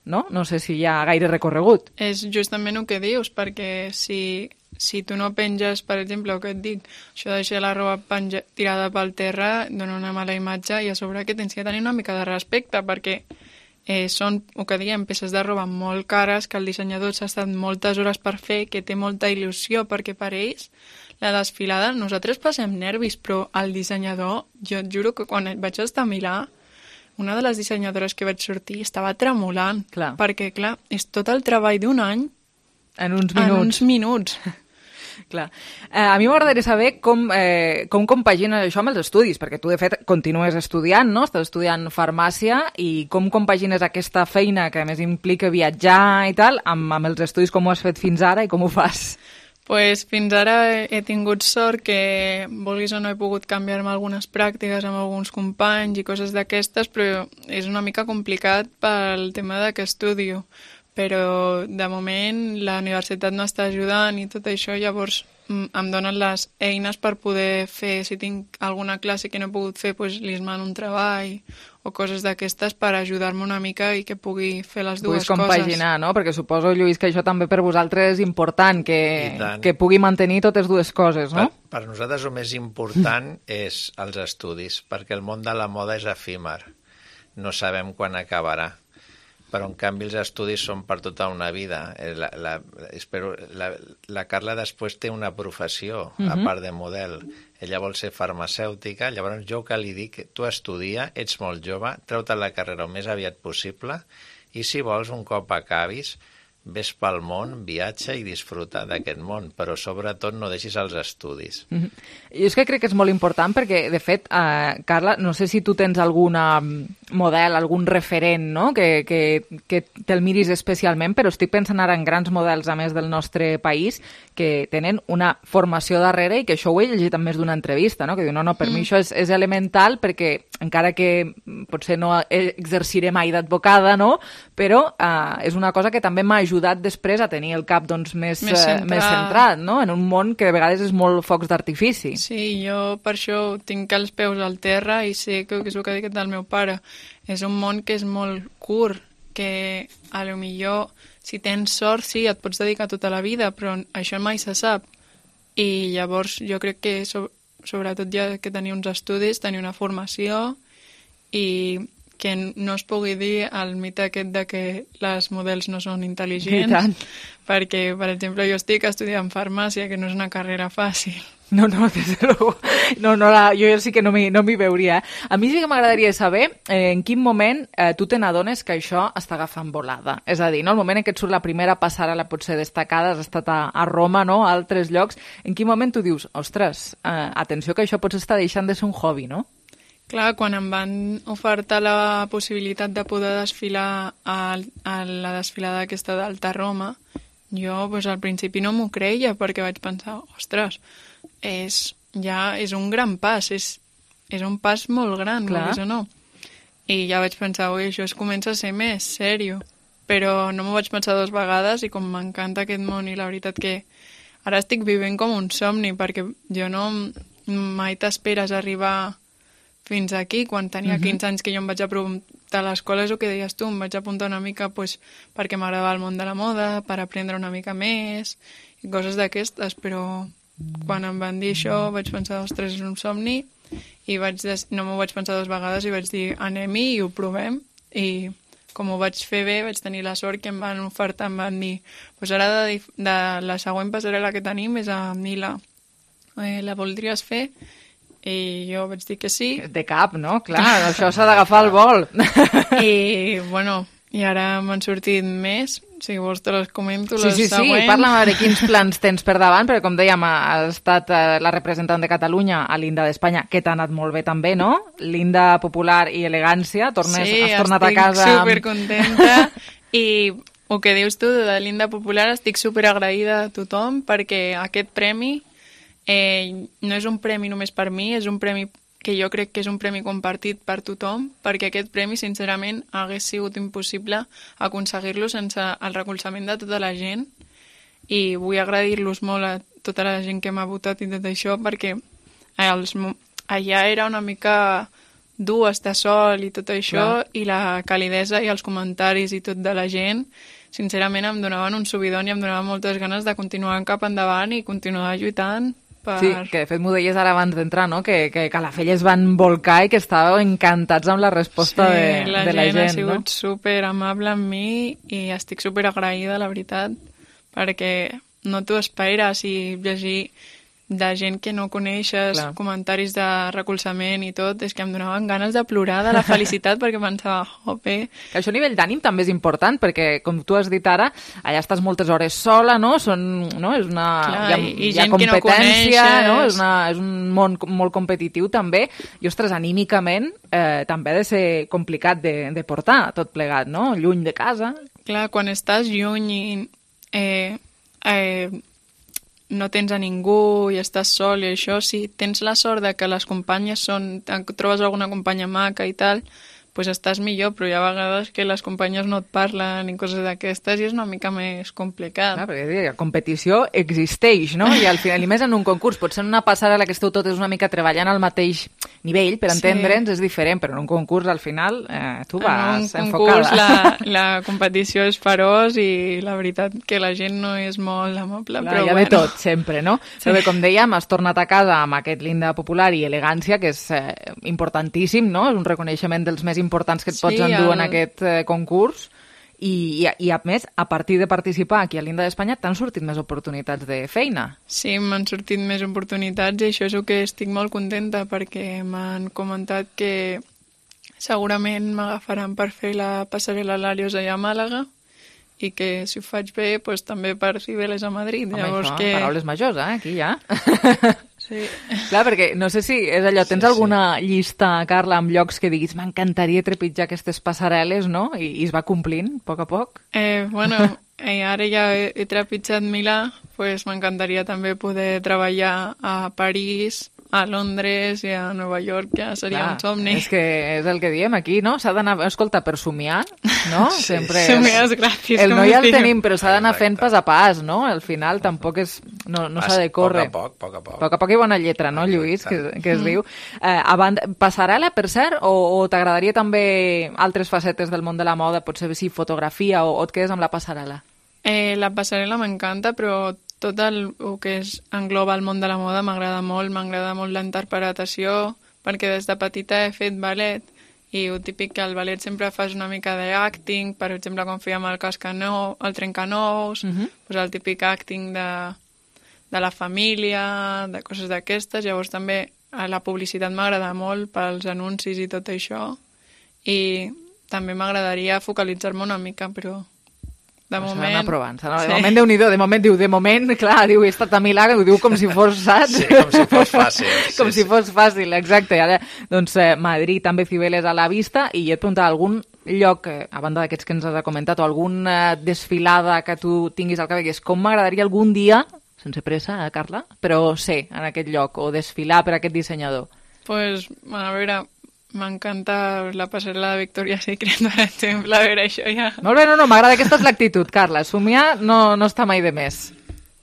S3: no? No sé si hi ha gaire recorregut.
S1: És justament el que dius, perquè si, si tu no penges, per exemple, el que et dic, això de deixar la roba penja, tirada pel terra dona una mala imatge i a sobre que tens que tenir una mica de respecte, perquè eh, són, el que diem, peces de roba molt cares que el dissenyador s'ha estat moltes hores per fer, que té molta il·lusió, perquè per ells la desfilada, nosaltres passem nervis, però el dissenyador, jo et juro que quan vaig estar a Milà, una de les dissenyadores que vaig sortir estava tremolant,
S3: clar.
S1: perquè, clar, és tot el treball d'un any
S3: en uns minuts.
S1: En uns minuts.
S3: Clar. Eh, a mi m'agradaria saber com, eh, com compagines això amb els estudis, perquè tu, de fet, continues estudiant, no? Estàs estudiant farmàcia, i com compagines aquesta feina que a més implica viatjar i tal, amb, amb els estudis, com ho has fet fins ara i com ho fas?
S1: Pues fins ara he tingut sort que, vulguis o no, he pogut canviar-me algunes pràctiques amb alguns companys i coses d'aquestes, però és una mica complicat pel tema de que estudio. Però, de moment, la universitat no està ajudant i tot això, llavors em donen les eines per poder fer, si tinc alguna classe que no he pogut fer, doncs li mano un treball o coses d'aquestes per ajudar-me una mica i que pugui fer les dues
S3: coses. Puguis compaginar, no? Perquè suposo, Lluís, que això també per vosaltres és important, que, que pugui mantenir totes dues coses, no?
S2: Per, per nosaltres el més important és els estudis, perquè el món de la moda és efímer. No sabem quan acabarà. Però, en canvi, els estudis són per tota una vida. La, la, espero, la, la Carla després té una professió, uh-huh. a part de model. Ella vol ser farmacèutica, llavors jo que li dic, tu estudia, ets molt jove, treu-te la carrera el més aviat possible, i si vols, un cop acabis, ves pel món, viatja i disfruta d'aquest món, però sobretot no deixis els estudis.
S3: Mm-hmm. Jo és que crec que és molt important perquè, de fet, eh, Carla, no sé si tu tens algun model, algun referent, no?, que, que, que te'l miris especialment, però estic pensant ara en grans models, a més del nostre país, que tenen una formació darrere i que això ho he llegit en més d'una entrevista, no?, que diu, no, no, per mm. mi això és, és elemental perquè, encara que potser no exerciré mai d'advocada, no?, però eh, és una cosa que també m'ha ajudat després a tenir el cap doncs, més, més, centrat. Eh, més centrat, no?, en un món que de vegades és molt focs d'artifici.
S1: Sí, jo per això tinc els peus al terra i sé que, que és el que ha dit el meu pare. És un món que és molt curt, que a lo millor si tens sort sí, et pots dedicar tota la vida, però això mai se sap. I llavors jo crec que so, sobretot ja que tenir uns estudis, tenir una formació i que no es pugui dir el mite aquest de que les models no són intel·ligents, perquè, per exemple, jo estic estudiant farmàcia, que no és una carrera fàcil.
S3: No, no, des de luego. No, no, la, jo sí que no m'hi no m'hi veuria. A mi sí que m'agradaria saber eh, en quin moment eh, tu te n'adones que això està agafant volada. És a dir, no? El moment en què et surt la primera passarel·la potser destacada, has estat a, a Roma, no?, a altres llocs, en quin moment tu dius, ostres, eh, atenció que això potser està deixant de ser un hobby, no?
S1: Clar, quan em van ofertar la possibilitat de poder desfilar a, a la desfilada aquesta d'Alta Roma, jo pues, al principi no m'ho creia perquè vaig pensar, ostres, és, ja és un gran pas, és, és un pas molt gran, vulguis o no. I ja vaig pensar, ui, això es comença a ser més sèrio. Però no m'ho vaig pensar dues vegades i com m'encanta aquest món i la veritat que ara estic vivint com un somni perquè jo no mai t'esperes arribar fins aquí. Quan tenia quinze anys que jo em vaig apuntar a l'escola, és el que deies tu, em vaig apuntar una mica pues, perquè m'agradava el món de la moda, per aprendre una mica més i coses d'aquestes, però quan em van dir això vaig pensar, ostres, és un somni, i vaig des... no m'ho vaig pensar dues vegades i vaig dir, anem-hi i ho provem, i com ho vaig fer bé, vaig tenir la sort que em van ofertar, em van dir, pues ara de, de la següent passarel·la que tenim és a Milà, eh, la voldries fer? I jo vaig dir que sí.
S3: De cap, no? Clar, això s'ha d'agafar el vol.
S1: I, bueno, i ara m'han sortit més. Si vols te les comento,
S3: sí,
S1: les
S3: sí,
S1: següents.
S3: Sí, parla'm a veure quins plans tens per davant, perquè com dèiem, ha estat la representant de Catalunya a l'Inda d'Espanya, que t'ha anat molt bé també, no? L'Inda popular i elegància, tornes,
S1: sí,
S3: has tornat a casa...
S1: Sí, estic supercontenta. I el que dius tu de l'Inda popular, estic superagraïda a tothom, perquè aquest premi Eh, no és un premi només per mi, és un premi que jo crec que és un premi compartit per tothom, perquè aquest premi, sincerament, hagués sigut impossible aconseguir-lo sense el recolzament de tota la gent, i vull agrair-los molt a tota la gent que m'ha votat i tot això, perquè els, allà era una mica dur estar sol i tot això,
S3: Clar.
S1: i la calidesa i els comentaris i tot de la gent, sincerament em donaven un subidon i em donaven moltes ganes de continuar cap endavant i continuar lluitant per...
S3: Sí, que de fet m'ho deies ara abans d'entrar, no? Que, que Calafell es van volcar i que estàveu encantats amb la resposta
S1: sí,
S3: de,
S1: la
S3: de la gent,
S1: ha sigut
S3: no?
S1: super amable amb mi i estic super agraïda, la veritat, perquè no t'ho esperes i llegir de gent que no coneixes,
S3: Clar.
S1: comentaris de recolzament i tot, és que em donaven ganes de plorar de la felicitat perquè pensava, jope...
S3: Que això a nivell d'ànim també és important, perquè, com tu has dit ara, allà estàs moltes hores sola, no? Són, no? És una...
S1: Clar,
S3: hi ha,
S1: i, i
S3: hi ha
S1: gent que no
S3: competència,
S1: coneixes...
S3: no? És, una, és un món molt competitiu també, i, ostres, anímicament eh, també ha de ser complicat de, de portar tot plegat, no? Lluny de casa.
S1: Clar, quan estàs lluny i eh, eh, no tens a ningú i estàs sol i això, si tens la sort de que les companyes són, trobes alguna companya maca i tal, pues estàs millor, però hi ha vegades que les companyes no et parlen i coses d'aquestes i és una mica més complicat.
S3: Clar, perquè la competició existeix, no? I al final, i més en un concurs, potser en una passarel·la que esteu totes una mica treballant al mateix nivell, per entendre'ns, és diferent, però en un concurs al final eh, tu vas
S1: en un
S3: enfocada.
S1: concurs la, la competició és feroç i la veritat que la gent no és molt amable,
S3: Clar,
S1: però
S3: hi ha
S1: bueno.
S3: de tot, sempre, no? Sí. Però bé, com dèiem, has tornat a casa amb aquest linda popular i elegància, que és eh, importantíssim, no? És un reconeixement dels més importants que et pots
S1: Sí,
S3: endur
S1: el-
S3: en aquest eh, concurs. I, i, I, a més, a partir de participar aquí a l'Inda d'Espanya, t'han sortit més oportunitats de feina.
S1: Sí, m'han sortit més oportunitats i això és el que estic molt contenta perquè m'han comentat que segurament m'agafaran per fer la passarel·la Larios allà a Màlaga i que si ho faig bé, pues, també per Cibeles a Madrid.
S3: Home,
S1: Llavors
S3: això,
S1: que...
S3: paraules majors, eh? Aquí ja.
S1: Sí.
S3: Clar, perquè no sé si és allò, tens
S2: Sí, sí.
S3: alguna llista, Carla, amb llocs que diguis m'encantaria trepitjar aquestes passarel·les, no? I, i es va complint, a poc a poc.
S1: Eh, bueno, eh, ara ja he, he trepitjat Milà, pues m'encantaria també poder treballar a París, a Londres i a Nova York, ja seria
S3: Clar,
S1: un somni.
S3: És que és el que diem aquí, no? S'ha d'anar, escolta, per somiar, no?
S1: Sí,
S3: Sempre
S1: somiar és gratis,
S3: El
S1: com
S3: no
S1: es
S3: ja el
S1: diu.
S3: tenim, però s'ha d'anar fent pas a pas, no? Al final tampoc és... No, no s'ha de córrer.
S2: Poc a poc, poc a poc.
S3: Poc a poc i bona lletra, no, Lluís, que, que es
S1: Mm.
S3: diu. Eh, abans, passarel·la, per cert, o, o t'agradaria també altres facetes del món de la moda, potser sí, fotografia, o, o et quedes amb la passarel·la?
S1: Eh, la passarel·la m'encanta, però tot el, el que és, engloba el món de la moda m'agrada molt, m'agrada molt la interpretació, perquè des de petita he fet ballet, i el típic que al ballet sempre fas una mica d'acting, per exemple, quan fèiem el cascanou, el trencanous, uh -huh. pues el típic acting de, de la família, de coses d'aquestes, llavors també a la publicitat m'agrada molt pels anuncis i tot això, i també m'agradaria focalitzar-me una mica, però de moment...
S3: S'ha d'anar provant. De
S1: Sí.
S3: moment, Déu-n'hi-do, de moment diu, de moment, clar, diu, he estat a Milà, ho diu com si fos, saps?
S2: Sí, com si fos fàcil.
S3: com
S2: sí,
S3: si fos fàcil, exacte. Ara, doncs, eh, Madrid, també Cibeles a la vista, i jo et preguntava algun lloc, eh, a banda d'aquests que ens has comentat, o alguna eh, desfilada que tu tinguis al cap, que és com m'agradaria algun dia, sense pressa, eh, Carla, però ser en aquest lloc, o desfilar per aquest dissenyador.
S1: Pues, a veure, m'encanta la passarel·la de Victoria's Secret, per exemple, a veure, això ja...
S3: Molt bé, no, no, m'agrada aquesta és l'actitud, Carla. Somiar no, no està mai de més.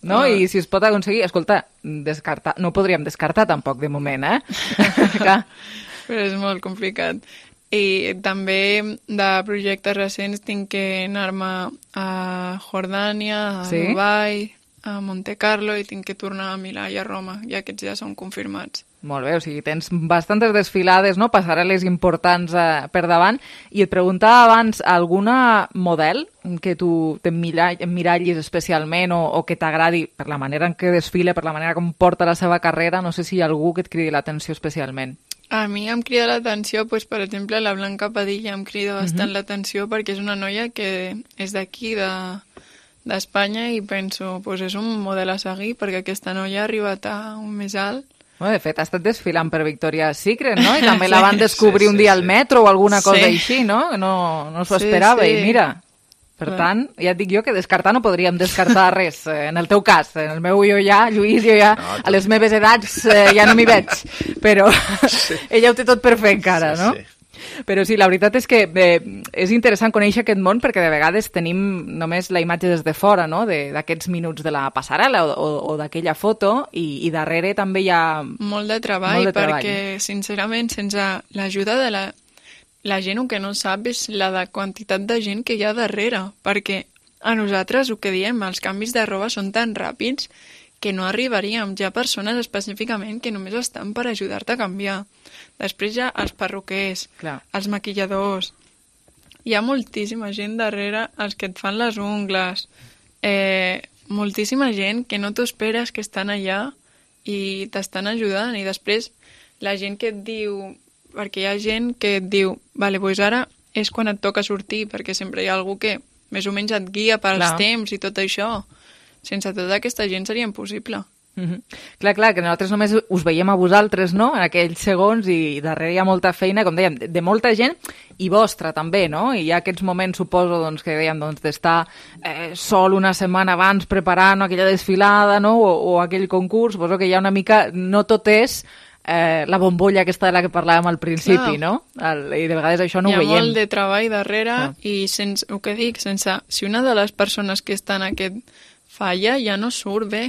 S3: No?
S1: No.
S3: I si es pot aconseguir... Escolta, descartar... no podríem descartar tampoc, de moment, eh? Clar.
S1: Però és molt complicat. I també de projectes recents tinc que anar-me a Jordània, a
S3: Sí?
S1: Dubai, a Monte Carlo, i tinc que tornar a Milà i a Roma, i aquests ja són confirmats.
S3: Molt bé, o sigui, tens bastantes desfilades, no? Passarel·les importants eh, per davant. I et preguntava abans, alguna model que tu t'emmirallis especialment o, o que t'agradi per la manera en què desfila, per la manera com porta la seva carrera? No sé si hi ha algú que et cridi l'atenció especialment.
S1: A mi em crida l'atenció, pues, per exemple, la Blanca Padilla em crida bastant
S3: Mhm.
S1: l'atenció perquè és una noia que és d'aquí, de, d'Espanya, i penso, pues, és un model a seguir perquè aquesta noia ha arribat a un més alt.
S3: Bueno, de fet, ha estat desfilant per Victoria's Secret, no? I també la
S1: Sí.
S3: van descobrir
S2: Sí,
S3: un
S2: sí,
S3: dia
S2: sí.
S3: al metro o alguna cosa
S1: Sí.
S3: així, no? No, no s'ho
S1: Sí,
S3: esperava
S1: sí.
S3: i mira... Per
S1: Clar.
S3: tant, ja et dic jo que descartar no podríem descartar res. Eh, En el teu cas, en el meu jo ja, Lluís, jo ja,
S2: No,
S3: a les meves edats eh, ja no m'hi veig. Però ella ho té tot per fer encara,
S2: Sí,
S3: no?
S2: sí.
S3: Però sí, la veritat és que eh, és interessant conèixer aquest món perquè de vegades tenim només la imatge des de fora, no?, d'aquests minuts de la passarel·la o, o, o d'aquella foto i, i darrere també hi ha...
S1: Molt de treball,
S3: molt de treball.
S1: perquè sincerament sense l'ajuda de la, la gent el que no sap és la de quantitat de gent que hi ha darrere, perquè a nosaltres el que diem, els canvis de roba són tan ràpids que no arribaríem. Hi ha persones específicament que només estan per ajudar-te a canviar. Després hi ha els perruquers,
S3: Clar.
S1: els maquilladors. Hi ha moltíssima gent darrere, els que et fan les ungles, eh, moltíssima gent que no t'ho esperes que estan allà i t'estan ajudant. I després la gent que et diu... Perquè hi ha gent que et diu vale, doncs ara és quan et toca sortir, perquè sempre hi ha algú que més o menys et guia pels
S3: Clar.
S1: temps i tot això. Sense tota aquesta gent seria impossible.
S3: Mm-hmm. Clar, clar, que nosaltres només us veiem a vosaltres, no?, en aquells segons, i darrere hi ha molta feina, com dèiem, de, de molta gent i vostra també, no? I hi ha aquests moments, suposo, doncs, que dèiem, doncs, d'estar eh, sol una setmana abans preparant aquella desfilada, no?, o, o aquell concurs, suposo que hi ha una mica... No tot és eh, la bombolla aquesta de la que parlàvem al principi,
S1: Clar.
S3: no? El, I de vegades això no
S1: hi
S3: ho
S1: ha
S3: veiem.
S1: molt de treball darrere
S3: Ah.
S1: i sense, el que dic, sense, si una de les persones que estan en aquest falla ja no surt bé,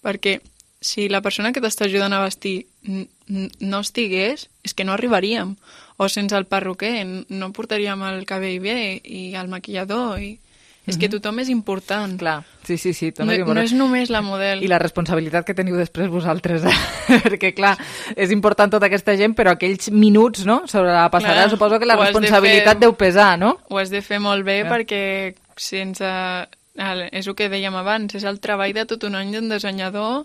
S1: perquè si la persona que t'està ajudant a vestir n- n- no estigués, és que no arribaríem. O sense el perruquer no portaríem el cabell bé i el maquillador. I... És que tothom és important.
S3: Clar, sí, sí, sí.
S1: No, no és només la model.
S3: I la responsabilitat que teniu després vosaltres, eh? Perquè, clar, és important tota aquesta gent, però aquells minuts, no?, sobre la passarel·la,
S1: Clar,
S3: suposo que la
S1: ho has de
S3: responsabilitat
S1: fer-
S3: deu pesar, no?
S1: Ho has de fer molt bé
S3: Clar.
S1: perquè sense... El, és el que dèiem abans, és el treball de tot un any d'un dissenyador,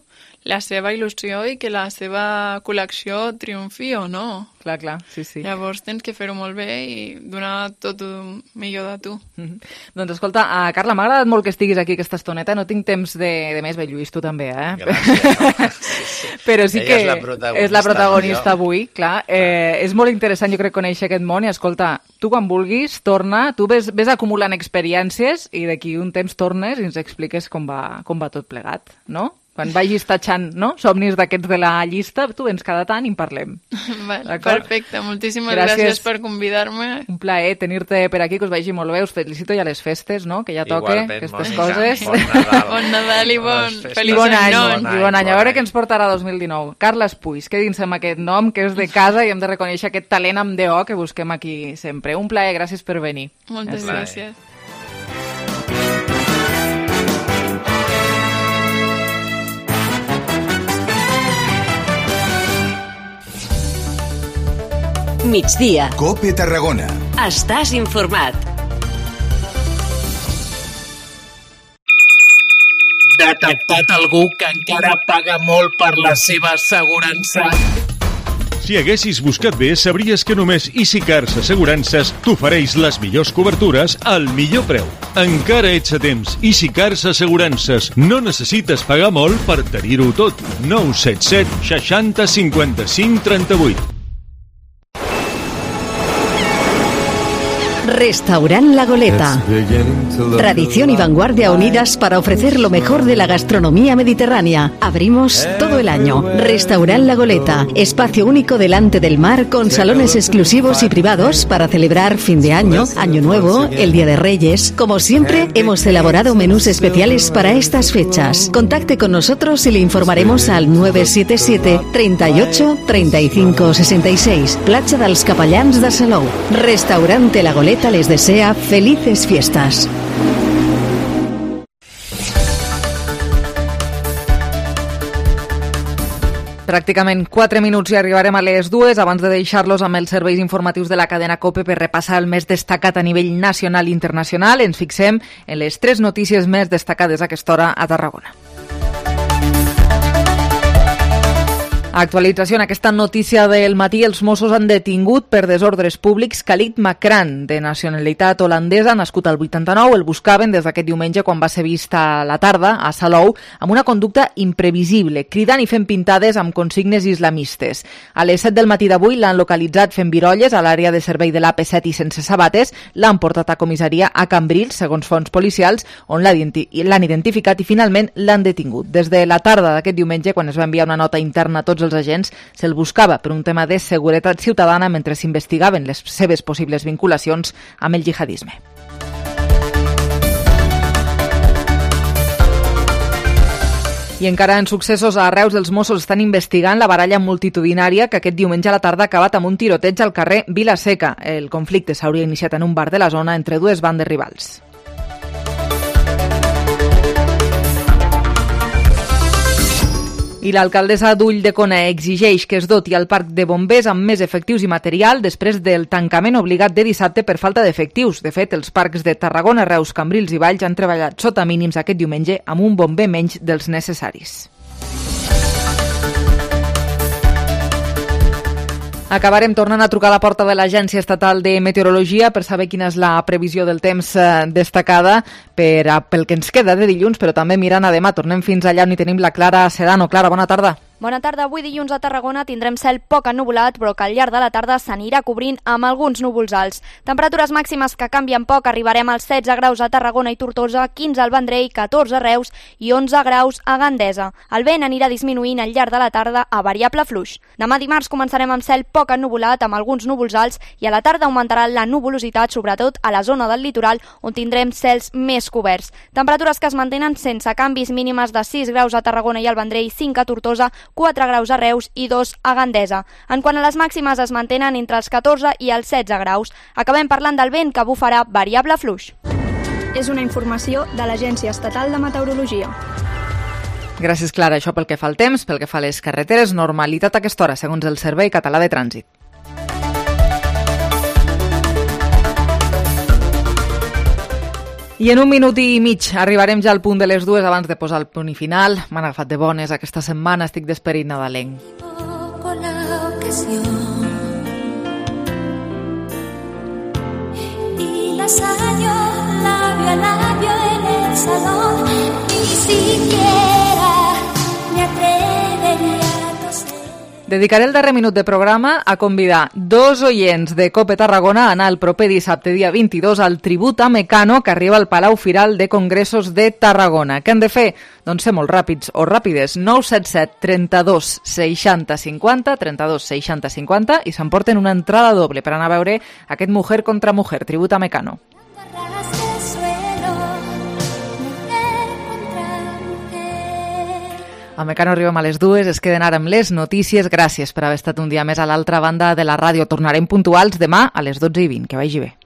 S1: la seva il·lusió i que la seva col·lecció triomfi o no.
S3: Clar, clar, sí, sí.
S1: Llavors tens que fer-ho molt bé i donar tot el millor de tu.
S3: Mm-hmm. Doncs escolta, uh, Carla, m'ha agradat molt que estiguis aquí aquesta estoneta, no tinc temps de, de més, bé, Lluís, tu també, eh?
S2: Gràcies. Sí, sí.
S3: Però sí
S2: Ella
S3: que
S2: és la protagonista,
S3: és la protagonista
S2: jo.
S3: avui, clar. Eh, és molt interessant, jo crec, conèixer aquest món i, escolta, tu quan vulguis, torna, tu ves, ves acumulant experiències i d'aquí un temps tornes i ens expliques com va, com va tot plegat, no? Quan vagis tatxant, no?, somnis d'aquests de la llista, tu vens cada tant i en parlem.
S1: Vale, perfecte, moltíssimes
S3: Gràcies.
S1: gràcies per convidar-me.
S3: Un plaer tenir-te per aquí, que us vagi molt bé, us felicito ja les festes, no?, que ja toque
S2: Igualment,
S3: aquestes
S2: Mònica.
S3: coses.
S2: Bon Nadal.
S1: Bon Nadal i bon,
S2: Bones
S3: I
S1: feliç
S3: bon any,
S1: any.
S3: bon any, bon any. A veure què ens portarà dos mil dinou. Carles Puig, quedin-se amb aquest nom, que és de casa i hem de reconèixer aquest talent amb D O que busquem aquí sempre. Un plaer, gràcies per venir.
S1: Moltes
S2: Gràcies.
S1: gràcies.
S4: Migdia.
S5: Cope Tarragona.
S4: Estàs informat.
S6: Detectat algú que encara paga molt per la seva assegurança.
S9: Si haguessis buscat bé, sabries que només EasyCars Assegurances t'ofereix les millors cobertures al millor preu. Encara ets a temps. EasyCars Assegurances. No necessites pagar molt per tenir-ho tot. nou set set seixanta cinquanta-cinc trenta-vuit.
S31: Restaurant La Goleta. Tradición y vanguardia unidas para ofrecer lo mejor de la gastronomía mediterránea. Abrimos todo el año. Restaurant La Goleta. Espacio único delante del mar con salones exclusivos y privados para celebrar fin de año, Año Nuevo, el Día de Reyes. Como siempre, hemos elaborado menús especiales para estas fechas. Contacte con nosotros y le informaremos al nueve siete siete, treinta y ocho, treinta y cinco, sesenta y seis. Platja dels Capellans de Salou. Restaurante La Goleta les desea felices fiestas.
S3: Pràcticament quatre minuts i arribarem a les dues abans de deixar-los amb els serveis informatius de la cadena COPE per repassar el més destacat a nivell nacional i internacional. Ens fixem en les tres notícies més destacades a aquesta hora a Tarragona. Actualització en aquesta notícia del matí. Els Mossos han detingut per desordres públics Khalid Makran, de nacionalitat holandesa, nascut al vuitanta-nou. El buscaven des d'aquest diumenge quan va ser vist a la tarda a Salou amb una conducta imprevisible, cridant i fent pintades amb consignes islamistes. A les set del matí d'avui l'han localitzat fent virolles a l'àrea de servei de l'A P set i sense sabates. L'han portat a comissaria a Cambrils, segons fonts policials, on l'han identificat i finalment l'han detingut. Des de la tarda d'aquest diumenge, quan es va enviar una nota interna a tots tots els agents se'l buscava per un tema de seguretat ciutadana mentre s'investigaven les seves possibles vinculacions amb el jihadisme. I encara en successos a Reus, els Mossos estan investigant la baralla multitudinària que aquest diumenge a la tarda ha acabat amb un tiroteig al carrer Vila-seca. El conflicte s'hauria iniciat en un bar de la zona entre dues bandes rivals. I l'alcaldessa d'Ulldecona exigeix que es doti al parc de bombers amb més efectius i material després del tancament obligat de dissabte per falta d'efectius. De fet, els parcs de Tarragona, Reus, Cambrils i Valls han treballat sota mínims aquest diumenge amb un bomber menys dels necessaris. Acabarem tornant a trucar a la porta de l'Agència Estatal de Meteorologia per saber quina és la previsió del temps destacada per a, pel que ens queda de dilluns, però també mirant a demà. Tornem fins allà on hi tenim la Clara Sedano. Clara, bona tarda.
S5: Bona tarda. Avui dilluns a Tarragona tindrem cel poc ennuvolat, però que al llarg de la tarda s'anirà cobrint amb alguns núvols alts. Temperatures màximes que canvien poc. Arribarem als setze graus a Tarragona i Tortosa, quinze al Vendrell, catorze a Reus i onze graus a Gandesa. El vent anirà disminuint al llarg de la tarda a variable fluix. Demà dimarts començarem amb cel poc ennuvolat amb alguns núvols alts i a la tarda augmentarà la nuvolositat, sobretot a la zona del litoral on tindrem cels més coberts. Temperatures que es mantenen sense canvis, mínimes de sis graus a Tarragona i al Vendrell, cinc a Tortosa, quatre graus a Reus i dos a Gandesa. En quant a les màximes, es mantenen entre els catorze i els setze graus. Acabem parlant del vent, que bufarà variable fluix.
S10: És una informació de l'Agència Estatal de Meteorologia.
S3: Gràcies, Clara. Això pel que fa al temps, pel que fa a les carreteres, normalitat a aquesta hora, segons el Servei Català de Trànsit. I en un minut i mig arribarem ja al punt de les dues abans de posar el punt i final. M'han agafat de bones aquesta setmana, estic d'esperit nadalenc.
S11: Con la ocasión y las años labio a labio en el salón, ni siquiera me atrevería a toser.
S3: Dedicaré el darrer minut de programa a convidar dos oients de Cope Tarragona a anar el proper dissabte, dia vint-i-dos, al tribut a Mecano que arriba al Palau Firal de Congressos de Tarragona. Què han de fer? Doncs ser molt ràpids o ràpides. nou set set trenta-dos seixanta cinquanta, trenta-dos seixanta cinquanta i s'emporten una entrada doble per anar a veure aquest Mujer contra Mujer, tribut a Mecano. A Mecano arribem a les dues, es queden ara amb les notícies. Gràcies per haver estat un dia més a l'altra banda de la ràdio. Tornarem puntuals demà a les dotze i vint. Que vagi bé.